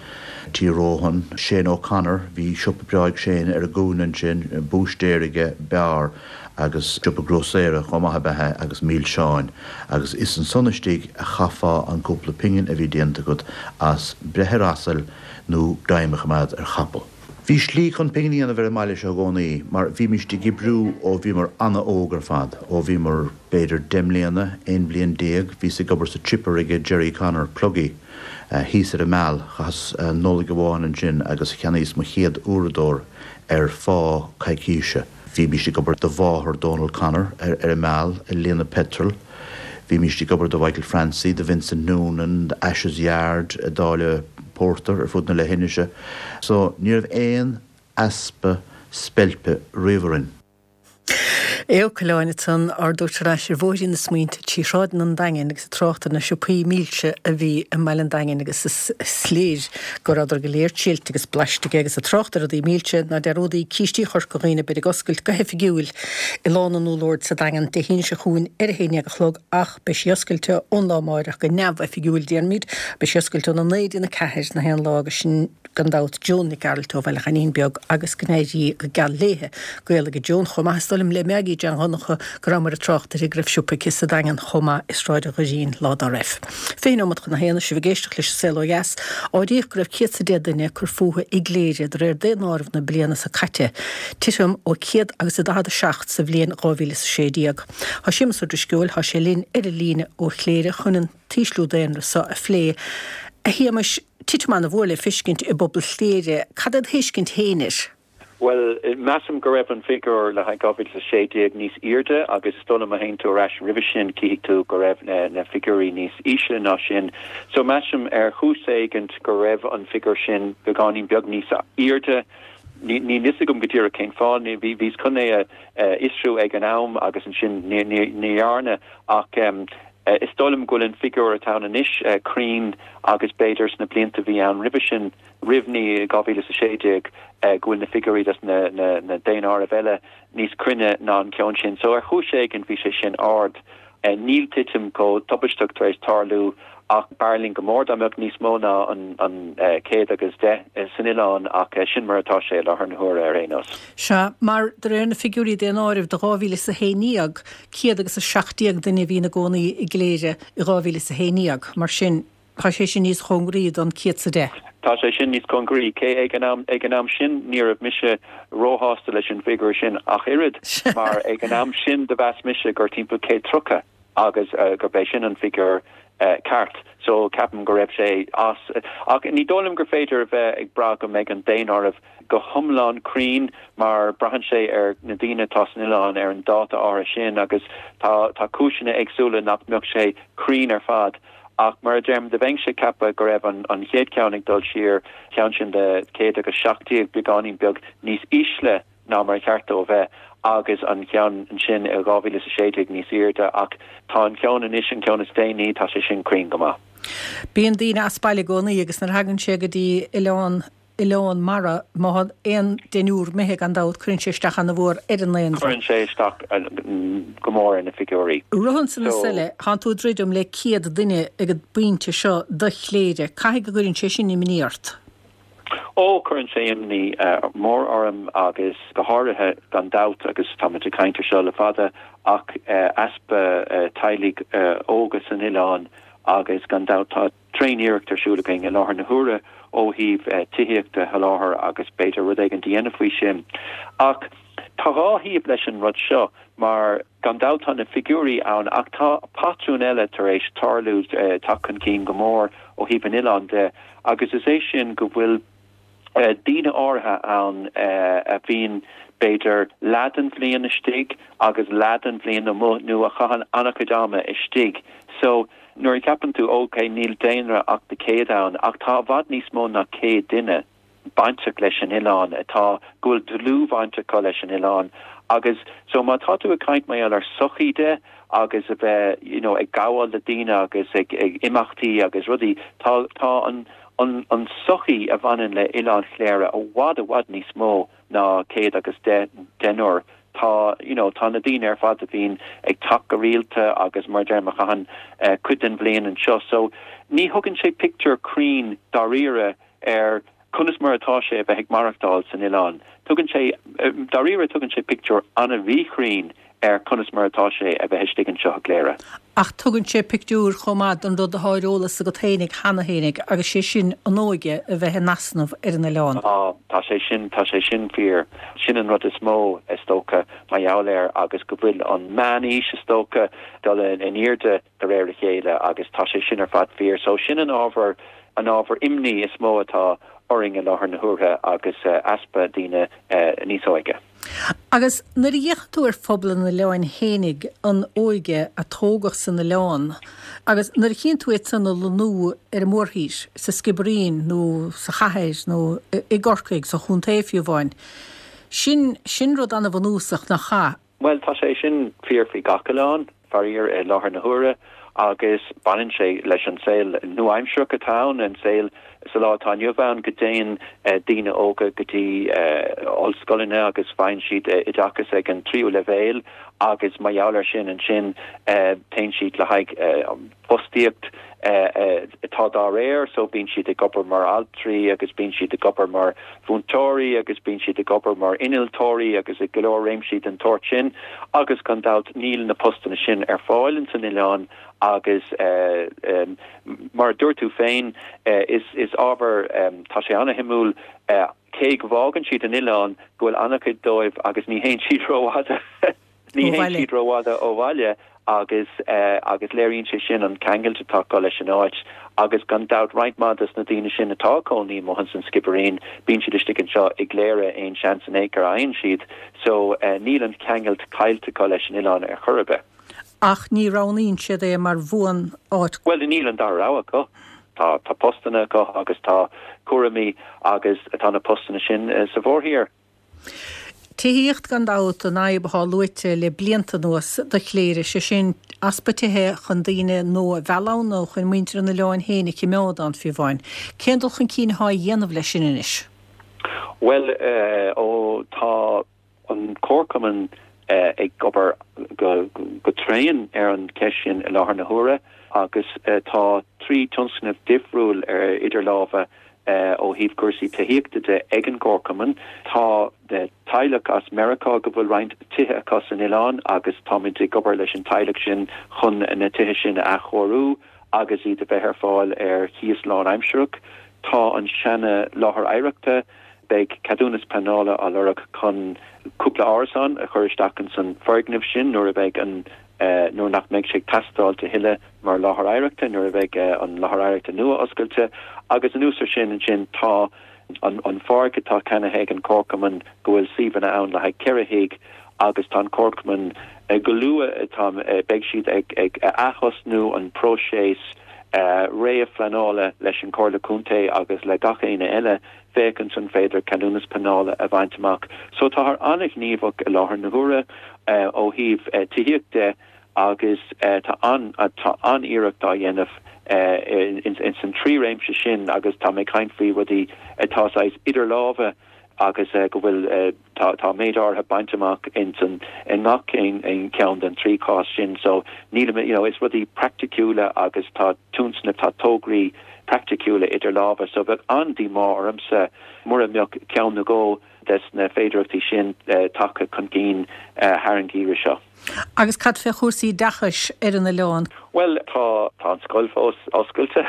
Tí Rohan, Shane O'Connor, bhí siopa breá ag Shane ar an gcúinne ansin, búistéir aige, beár agus siopa grósaera chomh maith ab ea é agus milseáin agus is ansan istigh a chaithfeá an cúpla pingin a bhí déanta agat as breith ar asal nó greim a choimeád ar chapall. Bhí slí chun pingin a dhéanamh ar an mbaile seo i gcónaí mar bhímist ag oibriú ó bhíomar ana-óg ar fad, ó bhíomar b'fhéidir 10 mbliana, 11 bhliain, bhíos ag obair sa chipper aige Jerry Connor, Pluggy, thíos ar an Meal, chaitheas Nollaig amháin ansin agus cheannaíos mo chéad uaireadóir ar phá coicíse. Bhímist ag obair do mháthair Donal Connor ar an Meal ag líonadh peitril. Bhímist ag obair do Mhichael Francie, do Vincent Noonan, do Ashes Yard ag dáileadh pórtair ar fud na leithinise. So ní raibh aon easpa speilpe riamh orainn. Aodh Ó Coileáin ansan ár dtabhairt ar ais ar bhóithrín na smaointe trí shráideanna an Daingin agus ag trácht ar na siopaí milse a bhí i mbaile an Daingin agus is léir go rabhadar go léir triailte agus blaiste aige agus ag trácht ar rudaí milse, ná dearúdaí Cístí Chorca Dhuibhne beid ag oscailt go hoifigiúil i Lána an Úllord sa Daingean Dé hAoine seo chugainn ar a haon dhéag a chlog ach beidh sí oscailte ón lá amáireach go neamhoifigiúil déarfaimid, beidh sí oscailte óna 9 dtí'n 4 na haon lá agus sin gan dabht Joan Nic Gearailt ó Bhaile Choinín Beag agus go n-éirí go geal léithe. Gaol aige Joan chomh maith is dóigh liom le Maggie Jean Dhonncha go rabhamar ag trácht uirthi go raibh siopa aici sa Daingean chomh maith i Sráid an Dhoirín lá dá raibh. 20 nóimeat chun a haon, sibh ag éisteacht leis an Saol Ó Dheas. Áiríodh go raibh 100 's 10 duine ag cur fúthu i gCléire de réir daonáireamh na bliana seo caite, titim ó 100 agus a 47 sa bhliain 2016. Tá Séamus Ó Drisceoil, tá sé linn ar an líne ó Chléire chun an t-ísliú daonra seo a phlé. A Shéamais, titim ana-mhór le feiscint i bpobal Chléire. Cad é do thuiscint féin air? Bhuel, measaim go raibh an figiúr le haghaidh 2016 níos airde agus is dóigh liom má théann tú ar ais roimhe sin cífidh tú go raibh na figiúirí níos ísle ná sin. So measaim ar chúis éigint go raibh an figiúr sin beagáinín beag níos airde. Níl fhios agam go díreach cén fáth. Bhíos chun é a fhiosrú ag an am agus ansin ní dhearna ach is dóigh liom go bhfuil an figiúr atá ann anois cruinn agus b'fhéidir sna blianta a bhí ann roimhe sin, roimh 2016 go bhfuil na figiúirí dos na daonáirimh eile níos cruinne ná an ceann sin. So ar chúis éigin bhí sé sin ard. Níl titim chomh tubaisteach tar éis tarlú ach b'fhearr linn go mór dá mbeadh níos mó ná an 110 san oileán ach sin mar atá sé i láthair na huaire ar aon nós. Sea, mar de réir na figiúirí daonáirimh do 2011, 117 duine a bhí ina gcónaí i gCléire i 2011. Mar sin, Tá sé sin níos cóngaraí don 110. Tá sé sin níos cóngaraí, cé ag an am, ag an am sin ní raibh mise róshásta leis an bhfigiúr sin ach oiread, mar ag an am sin do mheas mise gur timpeall 130 agus gurb é sin an figiúr ceart. So ceapaim go raibh sé as. Ach ní dóigh liom gur féidir a bheith ag brath go mbeidh an daonáireamh go hiomlán cruinn mar braitheann sé ar na daoine atá san oileán ar an dáta áirithe sin agus tá tá cúiseanna éagsúla nach mbeadh sé cruinn ar fad. Ach mar a deirim, do bheinnse ag ceapadh go raibh an chéad cheann ag dul siar, ceann sin de 117, beagáinín beag níos ísle ná mar a cheart dó a bheith, agus an ceann ansin i 2016 níos airde. Ach tá an ceann anois, an ceann is déanaí, tá sé sin cruinn go maith. Bíonn daoine as baile i gcónaí agus nuair a thagann sé go dtí oileán oileán mara, má tá aon deichniúr imithe, gan dabht, cuireann sé isteach ana-mhór ar an ndaonra. Cuireann sé isteach go mór ar na figiúirí. Ritheann na súile, tánn tú ag druidim le 100 duine ag an bpointe seo do Chléire. Caithfidh go gcuireann sé sin imní ort? Ó, cuireann sé imní mór orm agus go háirithe, gan dabht, agus táimid ag caint ar seo le fada, ach easpa teaghlaigh óga san oileán agus gan dabht tá, tréan-iarracht ar siúl againn i láthair na huaire ó thaobh tithíocht a sholáthar agus b'fhéidir rud éigin a dhéanamh faoi sin. Ach tá dhá thaobh leis an rud seo mar gan dabht tá na figiúirí ann ach tá patrún eile tar éis tarlú, teacht chun cinn go mór ó thaobh an oileáin de agus is é sin go bhfuil daoine áirithe ann a bhíonn b'fhéidir leath den bhliain istigh agus leath den bhliain amuigh nó a chaitheann an-chuid ama istigh. So nuair a cheapann tú ok níl daonra ach de 100 ann ach tá i bhfad níos mó ná 100 duine bainteach leis an oileán atá, go bhfuil dlúthbhaint acu leis an oileán agus so má tá tú ag caint mar gheall ar sochaí de agus a bheith you know ag gabháil le daoine agus ag ag imeachtaí agus rudaí tá tá an an an sochaí a bhaineann le Oileán Chléire i bhfad i bhfad níos mó ná céad agus deich deichniúr. Tá you know tá na daoine ar fad a bhíonn ag teacht go rialta agus mar a deirim a chaitheann cuid den bhliain anseo so ní thugann sé pictiúr cruinn dáiríre ar conas mar atá sé a bheith ag maireachtáil san oileán. Tugann sé, dáiríre tugann sé pictiúr an-mhíchruinn ar conas mar atá sé a bheith istigh anseo i gCléire. Ach tugann sé pictiúr chomh maith den rud atá ar eolas agat fhéinig cheana fhéinig agus sé sin an óige a bheith in easnamh ar an oileán. Tá, tá sé sin, tá sé sin fíor. Sin an rud is mó, is dócha, mar gheall air agus go bhfuil an meán-aois, is dócha, dul in airde de réir a chéile agus tá sé sin ar fad fíor. So sin an ábhar, an ábhar imní is mó atá orainn i láthair na huaire agus easpa daoine níos óige. Agus nuair a fhéachann tú ar phobal an oileáin fhéinig, an óige a tógadh san oileán, agus nuair a chíonn tú iad san ag lonnú ar an mórthír, sa Sciobairín nó sa chathair nó i gCorcaigh, sa chontae fiú amháin, sin, sin rud an-bhunúsach, nach ea? Bhuel, tá sé sin fíor faoi gach oileán, faraor, i láthair na huaire agus baineann sé leis an saol nua-aimsearach atá ann, an saol sa lá atá inniu ann go dtéann daoine óga go dtí ollscoileanna agus faigheann siad oideachas ag an tríú leibhéal agus mar gheall air sin ansin téann siad le haghaidh fostaíocht atá dá réir, so bíonn siad ag obair mar altraí agus bíonn siad ag obair mar mhúinteoirí agus bíonn siad ag obair mar innealtóirí agus i go leor réimsí den tsórt sin agus gan dabht níl na postanna sin ar fáil ins an oileán agus mar a dúirt tú féin is is ábhar tá sé ana-shuimiúil cé go bhfágann siad an oileán go bhfuil ana-chuid dóibh agus ní théann siad rófhada. Ní théann siad rófhada ó bhaile agus agus léiríonn sé sin an ceangailt atá acu leis an áit agus gan dabht roinnt mhaith des na daoine sin atá ag cónaí amuigh ins an Sciobairín bíonn siad istigh anseo i gCléire aon seans in aon chor a fhaigheann siad so níl an ceangailt caillte acu leis an oileán ar chor ar bith. Ach ní roghnaíonn siad é mar bhuan-áit. Bhuel níl an dara rogha acu. Tá tá postanna acu agus tá cúraimí agus tá na postanna sin sa mhórthír. Tithíocht, gan dabht, an fhadhb atá luaite le blianta anuas do Chléire, sé sin, easpa tithe chun daoine nua a mhealladh ann nó chun muintir an oileáin féin a chimeád ann, fiú amháin. Cén dul chun cinn atá á dhéanamh leis sin anois? Bhuel, ó tá an Comharchumann ag obair go tréan ar an cheist sin i láthair na huaire agus tá 3 tionscnamh difriúil idir lámha Ó thaobh cúrsaí tithíochta de ag an gComharchumann, tá teaghlach as Meiriceá go bhfuil roinnt tithe acu san oileán agus táimid ag obair leis an teaghlach sin chun na tithe sin a athchóiriú agus iad a bheith ar fáil ar chíos lánaimsearach. Tá an seana láthair oidhreachta, beidh ceadúnas pleanála á lorg chun cúpla árasán a chur isteach ins an foirgneamh sin nuair a bheidh an nuair nach mbeidh sé ag teastáilt a thuilleadh mar láthair oidhreachta, nuair a bheidh an láthair oidhreachta nua oscailte. Agus anuas ar sin, ansin tá an pháirc atá ceannaithe ag an Chomharchumann go bhfuil suíomhanna ann le haghaidh 4 thigh agus tá an Comharchumann go luath, tá, beidh siad ag ag ath-thosnú an próiseas réamhphleanála leis an Chomhairle Contae agus le gach éinne eile féachaint an féidir ceadúnas pleanála a bhaint amach. So táthar an-ghníomhach i láthair na huaire ó thaobh tithíocht de agus tá an tá an-iarracht á dhéanamh ins an trí réimse sin agus tá mé ag caint faoi rudaí atá saghas idir lámha agus go bhfuil tá tá méid áirithe bainte amach ins an i ngach aon cheann den trí chás sin so nílim you know is rudaí praiticiúla agus tá tionscnaimh tá tograí praiticiúla idir lámha so bheadh an-díomá ormsa mura mbeadh ceann nó dhó des na féidearthachtaí sin tagtha chun cinn thar an gheimhreadh seo. Agus cad fé chúrsaí oideachais ar an oileán? Bhuel, tá, tá an scoil fós oscailte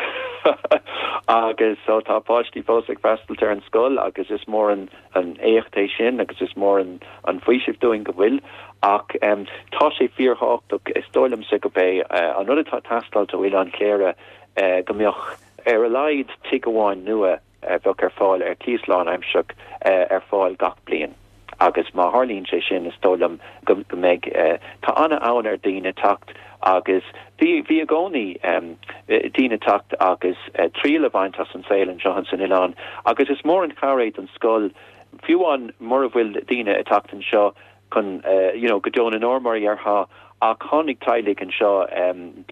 agus so tá páistí fós ag freastailt ar an scoil agus is mór an, an éacht é sin agus is mór an, an faoiseamh dúinn go bhfuil. Ach tá sé fíorthábhachtach, is dóigh liomsa go b'é an rud atá ag teastáilt ó Oileán Chléire go mbeadh ar a laghad tigh amháin nua a bheadh ar fáil ar cíos lánaimsearach ar fáil gach bliain agus má tharlaíonn sé sin is dóigh liom go mbeidh, tá an-fhonn ar daoine teacht agus bhí, bhí i gcónaí daoine teacht agus triail a bhaint as an saol anseo ins an oileán agus is mór an chabhair é don scoil fiú amháin mura bhfuil daoine ag teacht anseo chun you know go deo na ndeor mar a dhéarfá ach tháinig teaghlaigh anseo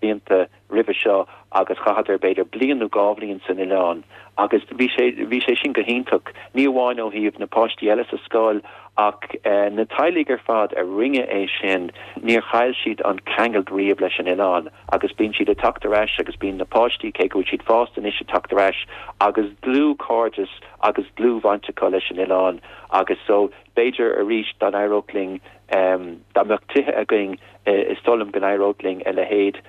blianta roimhe seo agus chaitheadar b'fhéidir bliain nó dhá bhliain san oileán agus bhí sé, bhí sé sin go hiontach, ní amháin ó thaobh na páistí eile sa scoil ach na teaghlaigh ar fad a rinne é sin, níor chaill siad an ceangailt riamh leis an oileán agus bíonn siad ag teacht ar ais agus bíonn na páistí, cé go bhfuil siad fásta anois, ag teacht ar ais agus dlúthchairdeas agus dlúthbhaint acu leis an oileán agus so b'fhéidir arís dá n-éireodh linn, dá mbeadh tithe againn is dóigh liom go n-éireodh linn a leithéid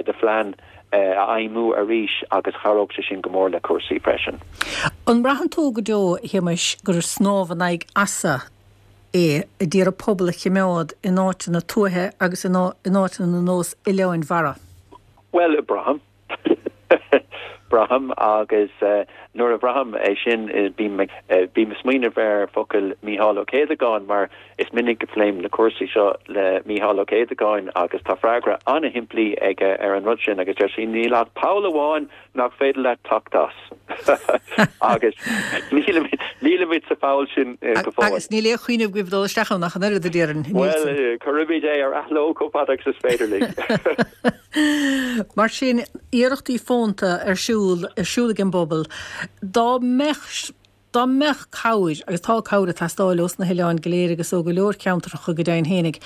de phlean a fheidhmiú arís agus chabhródh sé sin go mór le cúrsaí freisin. An mbraitheann tú go deo, a Shéamais, gur snámh in aghaidh easa é a d'iarraidh pobal a chimeád in áiteanna tuaithe agus in áiteanna ar nós oileáin mhara? Bhuel, braithim. Braithim agus nuair a bhraithim é sin bím ag bím ag smaoineamh ar focail Mícheál Ó Céadagáin mar is minic a phléim na cúrsaí seo le Mícheál Ó Céadagáin agus tá freagra an-shimplí aige ar an rud sin agus deir sé níl ach poll amháin nach féidir leat teacht as agus nílimid nílimid sa pholl sin go fóill. Agus níl aon chuimhne agaibh dul isteach ann ach an oiread a déarfainn. Bhuel, cuirfimid é ar athló chomh fada agus is féidir linn. Mar sin, iarrachtaí fónta ar siúl, ar siúl ag an bpobal. Dá mbeadh, dá mbeadh cabhair, agus tá cabhair ag teastáil ós na hoileáin go léir agus ó go leor ceantracha go deimhin fhéinig,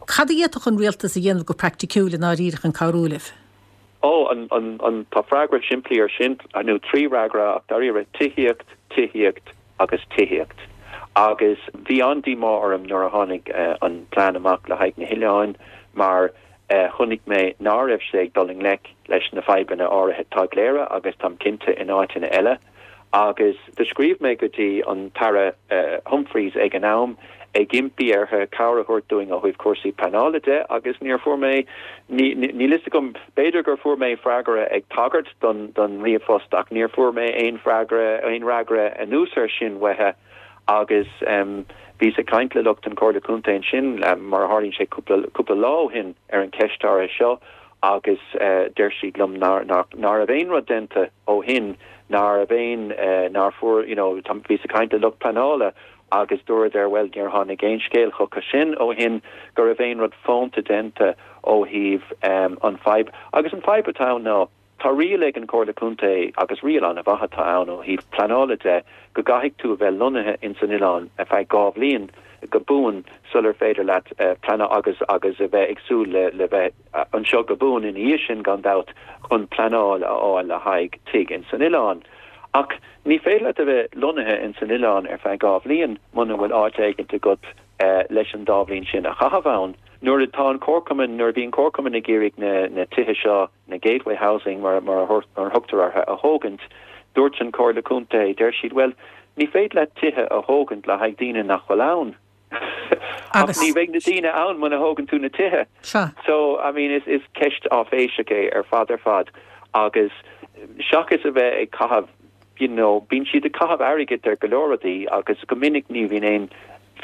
cad a d'fhéadfadh an rialtas a dhéanamh go praiticiúil i ndáiríre chun cabhrú libh? Ó, an, an, an, tá freagra simplí ar sin, nó trí fhreagra ach dáiríre, tithíocht, tithíocht agus tithíocht. Agus bhí an-díomá orm nuair a tháinig an plean amach le haghaidh na hoileáin mar, chonaic mé ná raibh sé ag dul i ngleic leis na fadhbanna áirithe atá i gCléire agus táim cinnte in áiteanna eile. Agus do scríobh mé go dtí an tAire Humphreys ag an am. Ag impí orthu cabhair a thabhairt dúinn ó thaobh cúrsaí pleanála de agus níor fuair mé, níl fhios agam, b'fhéidir gur fuair mé freagra ag tagairt don don ríomhphost ach níor fuair mé aon freagra, aon fhreagra anuas air sin uathu agus bhíos ag caint le lucht an Chomhairle Contae ansin, mar a tharlaíonn sé, cúpla, cúpla lá ó shin ar an cheist áirithe seo agus deir siad liom nár, nár, ná raibh aon rud déanta ó shin, ná raibh aon, nár fuair, you know, bhíos ag caint le lucht pleanála agus dúradar, bhuel, níor tháinig aon scéal chucu sin ó shin go raibh aon rud fónta déanta ó thaobh an fadhb. Agus an fadhb atá ann ná, tá riail ag an Chomhairle Contae, agus riail an-mhaith atá ann ó thaobh pleanála de, go gcaithfidh tú a bheith lonnaithe ins an oileán ar feadh 2 bhliain go buan sular féidir leat pleanáil agus agus a bheith ag súil le le bheith anseo go buan ina dhiaidh sin, gan dabht, chun pleanáil a fháil le haghaidh tigh ins an oileán. Ach ní féidir leat a bheith lonnaithe ins an oileán ar feadh 2 bhliain muna bhfuil áit éigint agat leis an dá bhliain sin a chaitheamh ann. Nuair atá an Comharchumann, nuair a bhí an Comharchumann ag iarraidh na na tithe seo, na Gateway Housing mar mar a thugtar orthu, a thógaint, dúirt an Comhairle Contae, deir siad, bhuel, ní féidir leat tithe a thógaint le haghaidh daoine nach bhfuil ann. Ach ní bheidh na daoine ann muna thógann tú na tithe. Sea. So, I mean, is, is ceist áiféiseach é ar fad ar fad agus seachas a bheith ag caitheamh, you know, bíonn siad ag caitheamh airgid ar go leor rudaí agus go minic ní bhíonn aon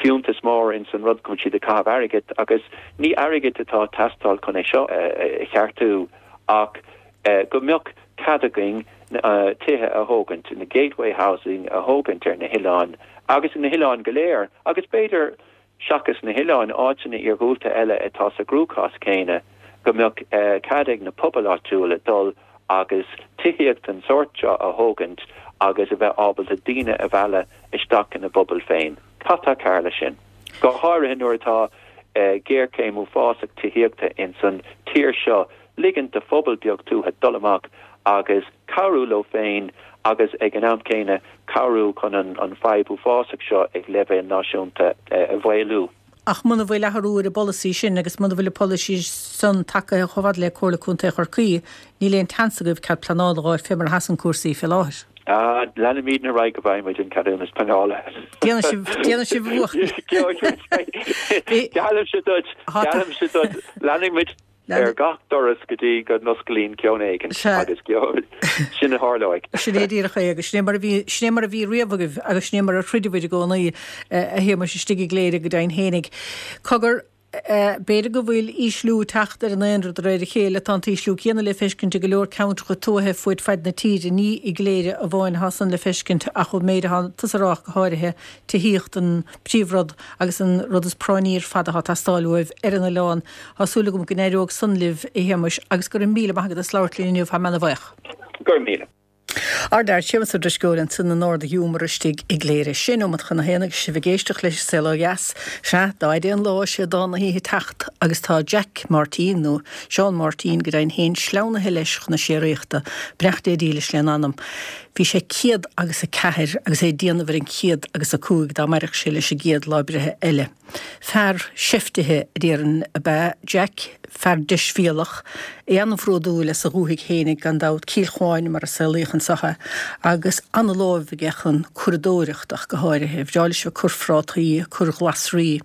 fiúntas mór ins an rud go bhfuil siad ag caitheamh airgid agus ní airgead atá ag teastáil chun é seo a cheartú ach go mbeadh cead againn tithe a thógaint, na gateway housing a thógaint ar na hoileáin agus na hoileáin go léir agus b'fhéidir seachas na hoileáin, áiteanna iarghúlta eile atá sa gcruachás céanna, go mbeadh cead ag na pobail áitiúla dul agus tithíocht den sórt seo a thógaint agus a bheith ábalta daoine a mhealladh isteach ina bpobail féin. Cad tá cearr leis sin? Go háirithe nuair atá géarchéim uafásach tithíochta ins an tír seo ligint do phobal beag tuaithe dul amach agus cabhrú leo féin agus ag an am céanna cabhrú chun an fadhb uafásach seo ag leibhéal náisiúnta a mhaolú. Ach muna bhfuil athrú ar an bpolasaí sin agus muna bhfuil an polasaí san tagaithe chomh fada le Comhairle Contae Chorcaí, níl aon tseans agaibh cead pleanála a dh'fháil fé mar a sheasann cúrsaí fé láthair. Ah, leanfaimidne ar aghaidh go bhfaighidh muid an ceadúnas pleanála. Déanfaidh sibh, déanfaidh sibh a bhuachaill. Geallaimse duit, geallaimse duit, leanfaidh muid ar gach doras go dtí go n-osclaíonn ceann éigin agus sin a tharlóidh. Sin é díreach é agus sin é mar a bhí, sin é mar a bhí riamh agaibh agus sin é mar a throideabhair i gcónaí, a Shéamais, istigh i gCléire go deimhin fhéinig. Cogar, b'fhéidir go bhfuil ísliú ag teacht ar an ndaonra de réir a chéile, tá an t-ísliú céanna le feiscint i go leor ceantracha tuaithe fuaid faid na tíre, ní i gCléire amháin atá san le feiscint ach ón méid atá tusa a rá ach go háirithe, tithíocht an príomhrud agus an rud is práinní ar fad atá ag teastáil uaibh ar an oileán. Tá súil agam go n-éireoidh san libh, a Shéamais, agus go raibh míle maith agat as labhairt linn inniu, tá mé ana bhuíoch. Go raibh míle. Ár bhfear Séamus Ó Drisceoil ansan in Ard a' Ghiúmar istigh i gCléire. Sé neomat chun a haon agus sibh ag éisteacht leis an Saol Ó Dheas. Sea, dá fhaide an lá sé dán na hoíche ag teacht agus tá Jack Máirtín, nó Seán Máirtín go deimhin féin, sleamhnaithe leis chun na síoraíochta. Beannacht Dé dílis lena anam. Bhí sé 104 agus é ag déanamh ar an 105 dá mairfeadh sé leis an gcéad lá breithe eile. Fear seiftithe, a déarfainn, ab ea Jack, fear deisbhéalach, é an-bhródúil as a dhúthaigh fhéinig, gan dabht, Cill Chuáin mar a saolaíodh anseo é, agus an-láimh aige chun curadóireacht ach go háirithe. Bhreá leis a bheith ag cur phrátaí, ag cur ghlasraí,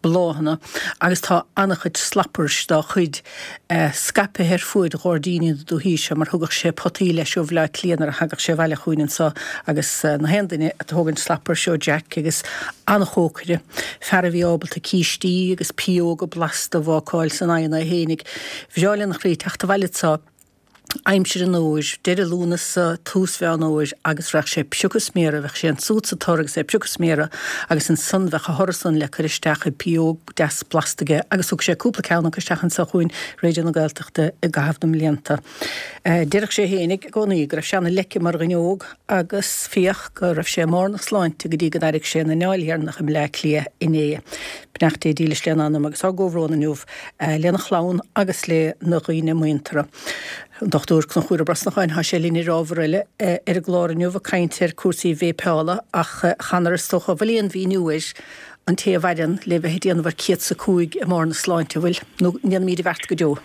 bláthanna agus tá an-chuid slappers dá chuid scaipthe ar fuaid ghairdíní na dúichí seo mar thugadh sé potaí leis ó Bhleá Cliath nuair a thagadh sé abhaile chugainn anseo agus na haon duine ag tógaint slappers ó Jack agus an-chócaire, fear a bhí ábalta cístí agus pióga blasta a bhácáil san oigheann é fhéinig. Bhreá lena chroí teacht abhaile anseo. Aimsir an fhómhair, deireadh Lúnasa, tús Mheán Fhómhair, agus bheadh sé ag piocadh sméara, bheadh sé ansúd sa tor agus é ag piocadh sméara agus ansan bheadh a thoradh san le cur isteach i bpióg deas blasta aige agus thug sé cúpla ceann acu isteach anso chugainn, Raidió na Gaeltachta, i gcaitheamh na mblianta. Deireadh sé fhéinig i gcónaí go raibh sé ana leice mar dhuine óg agus féach go raibh sé i mbarr na sláinte go dtí go d'airigh sé an anáil dheireanach i mBleá Cliath inné. Beannacht Dé dílis lena anam agus ár gcomhbhrón inniu lena chlann agus le na dhaoine muinteartha. An Dr Conchúr Ó Brosnacháin, tá sé linn ar ábhar eile ar an gclár inniu ag caint ar cúrsaí véipeála ach chan is dócha, bhfuil aon mhíniú air an té a mhaireann le bheith ag déanamh ar 105 i mbarr na sláinte, an bhfuil? Nó an ndéanfaimid a bheart go deo?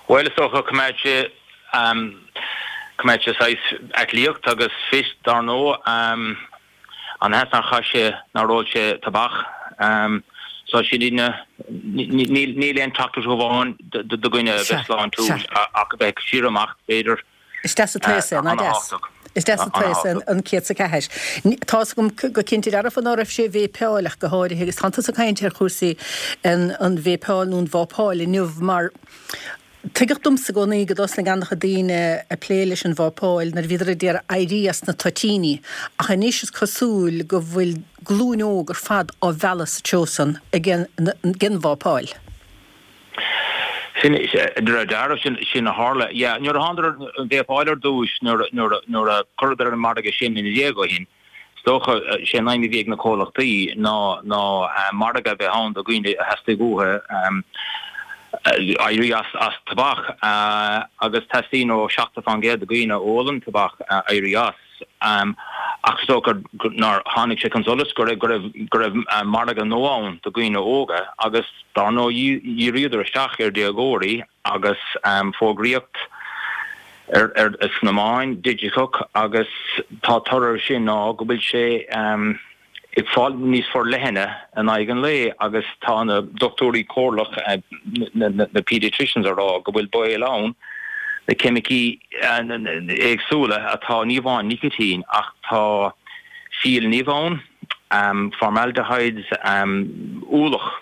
Bhuel, is dócha, coimeád sé, coimeád sé saghas aclaíocht agus fit, dar ndóigh. Ana-dheas nár chaith sé, nár ól sé tobac. So sin iad na, níl aon teachtaireacht amháin do dhuine a bheith sláintiúil ach a bheith ag síor-imeacht, b'fhéidir. Is deas an t-aos é, nach deas? Is deas an t-aos é an 104. Tá's agam go cinnte dearfa ná raibh sé ag véipeáil ach go háirithe agus tánn tusa ag caint ar chúrsaí an véipeáil nó an vápáil inniu mar Tuigeadh domsa i gcónaí go dtosnaigh an-chuid daoine ag plé leis an vápáil nuair a bhíodar ag iarraidh éirí as na toitíní, ach anois is cosúil go bhfuil glúin óg ar fad á mhealladh sa treo san ag an vápáil. Sin, de réir dealraimh, sin, sin a tharla. Yeah, nuair a thánadar an vápáil ar dtúis, nuair, nuair, nuair a cuireadar ar an margadh sin mbliana déag ó shin, Is dócha, sé an aidhm a bhí ag na comhlachtaí ná ná margadh a bheith ann do dhaoine a theastaigh uathu éirí as as tobac agus teastaíonn ó 70% de dhaoine a ólann tobac éirí as. Ach is dócha nár tháinig sé chun solais go raibh go raibh go raibh margadh nua ann do dhaoine óga agus dár ndóigh dhíríodar isteach ar déagóirí agus fógraíocht ar sna meáin digiteach agus tá toradh air sin ná go bhfuil sé ag fáil níos forleithne in aghaidh an lae agus tá na dochtúirí comhairleach, na pediatricians a rá go bhfuil baol ann na ceimicí éagsúla atá, ní amháin nicitín ach tá fiail nimh ann, formaldehydes, ualach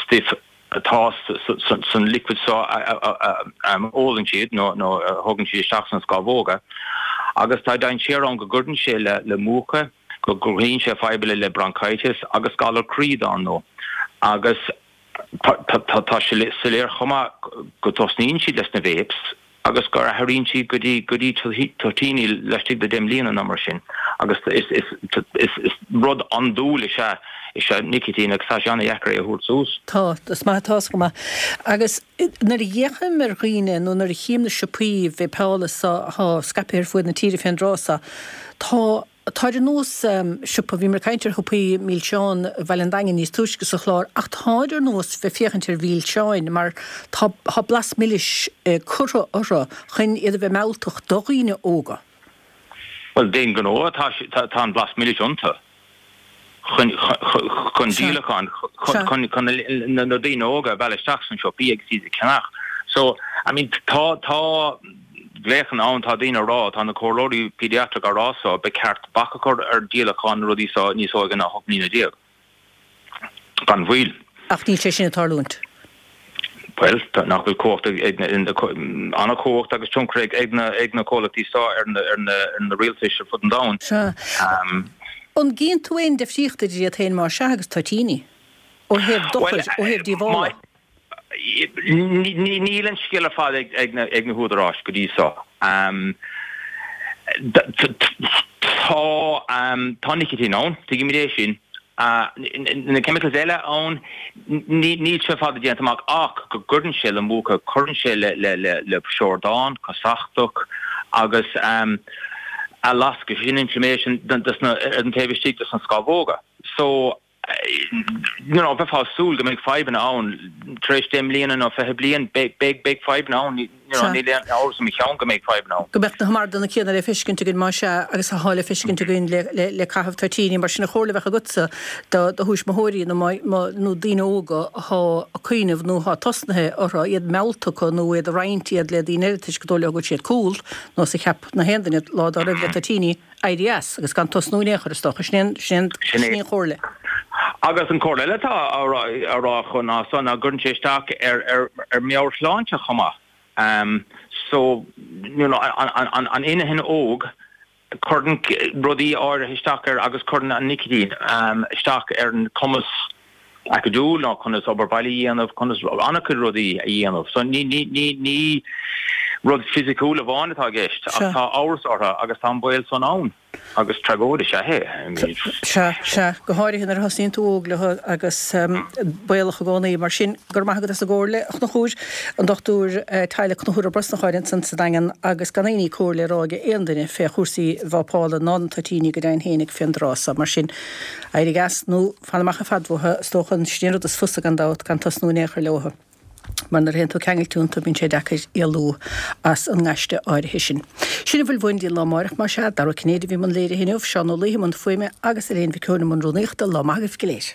stuif. atá san liquid seo a ólann siad nó a thógann siad isteach sna scámhóga agus tá dainséar ann go gcuireann sé le múchadh, go gcruthaíonn sé fadhbanna le bronchitis agus galar croí dár ndóigh. Agus tá sé soiléir chomh maith go dtosnaíonn siad leis na vapes agus gur athraíonn siad go dtí go dtí toitíní laistigh de 10 mbliana nó mar sin agus is is is rud andúil is ea is ea nicitín agus tá sé an-dheacair é a thabhairt suas. Tá, is maith atá 's agam. Agus nuair a fhéachaim ar dhaoine nó nuair a chím na siopaí véipeála so atá scaipthe ar fuaid na tíre fén dtráth so, tá Táid ar nós siopa, bhíomar ag caint ar shiopaí milseán Bhaile an Daingin níos túisce sa chlár, ach táid ar nós bheith féachaint ar mhilseáin mar tá tá blas milis curtha orthu chun iad a bheith mealltach do dhaoine óga. Bhuel, d'aon ghnó atá tá an blas milis iontu chun chun díolacháin chun chun na daoine óga a mhealladh isteach sna siopaí agus iad a cheannach. So, I mean, tá tá. glaochanna ann, tá daoine á rá, tá na comhairleoirí pediatric á rá so, ba cheart bac a chur ar dhíolachán na rudaí so níos óige ná 18 mbliana. Gan mhoill. Ach níl sé sin ag tarlúint. Bhuel, nach bhfuil cumhacht ag na, an-chumhacht agus tionchar ag na, ag na comhlachtaí so ar na, ar na, ar na rialtais ar fud an domhain. Sea. An gcíonn tú aon difríocht idir iad féin más ea agus toitíní? Ó thaobh dochair, ó thaobh díobhála? Níl an scéal ar fad ag na húdaráis go dtí seo. Tá nicitín ann, tuigimid é sin. Na chemicals eile ann, níl sé ar fad déanta amach ach go gcuireann sé le múchadh, cuireann sé le siordán, casachtach agus athláscadh, sin inflammation ar an taobh istigh de na scamhóga. So. you know, bheifeá ag súil go mbeidh fadhbanna ann tar éis 10 mbliana nó 20 bliain, beidh, beidh, beidh fadhbanna ann, you know, níl aon amhras i mo cheann go mbeidh fadhbanna ann. Go mbeadh na hamardanna céanna le feiscint againn más ea agus atá le feiscint againn le, le, le caitheamh toitíní. Mar sin an chomhairle a bheadh agatsa do, do thuismitheoirí nó má, má, nó daoine óga athá ag cuimhneamh nó athá tosnaithe orthu, iad meallta acu nó iad ag roinnt iad le daoine eile toisc gur dóigh leo go bhfuil siad cool, nós a cheap na haon duine lá dá raibh le toitíní. éirí as agus gan tosnú in aon chor, is dócha. Sin é an, sin é an chomhairle. Agus an chomhairle eile atá á rá acu ná so ná gcuireann sé isteach ar ar ar meabhairshláinte chomh maith. So, you know, an an inchinn óg, cuireann rudaí áirithe isteach air agus cuireann an nicitín isteach ar an cumas acadúil nó conas obair baile a dhéanamh, conas an-chuid rudaí a dhéanamh. So ní, ní, ní, ní rud fisiciúil amháin atá i gceist ach tá amhras orthu agus tá an baol san ann agus tragóid is ea é. I mean. Sea, sea, go háirithe nuair a thosnaíonn tú óg leo agus baolach i gcónaí. Mar sin, go raibh maith agat as an gcomhairle, a Chonchúir, an Dochtúir Teaghlaigh Conchúr Ó Brosnacháin ansan sa Daingean agus gan aon ní comhairle á rá ag aon duine fé chúrsaí vápála ná na toitíní go deimhin fhéinig fén dtráth so. Mar sin, éirigh as nó. Fan amach ar fad uathu, is dócha, sin an rud is fusa gan dabht, gan tosnú in aon chor leothu. Mar nuair a théann tú ceangailte iontu bíonn sé deacair éalú as an ngaiste áirithe sin. Sin a bhfuil uainn go dtí an lá amárach más ea. Dara Ó Cinnéide a bhí i mbun léirithe inniu, Seán Ó Laoithe i mbun fuaime agus Elaine Mhic Eoin i mbun rúnaíochta. Lá maith agaibh go léir.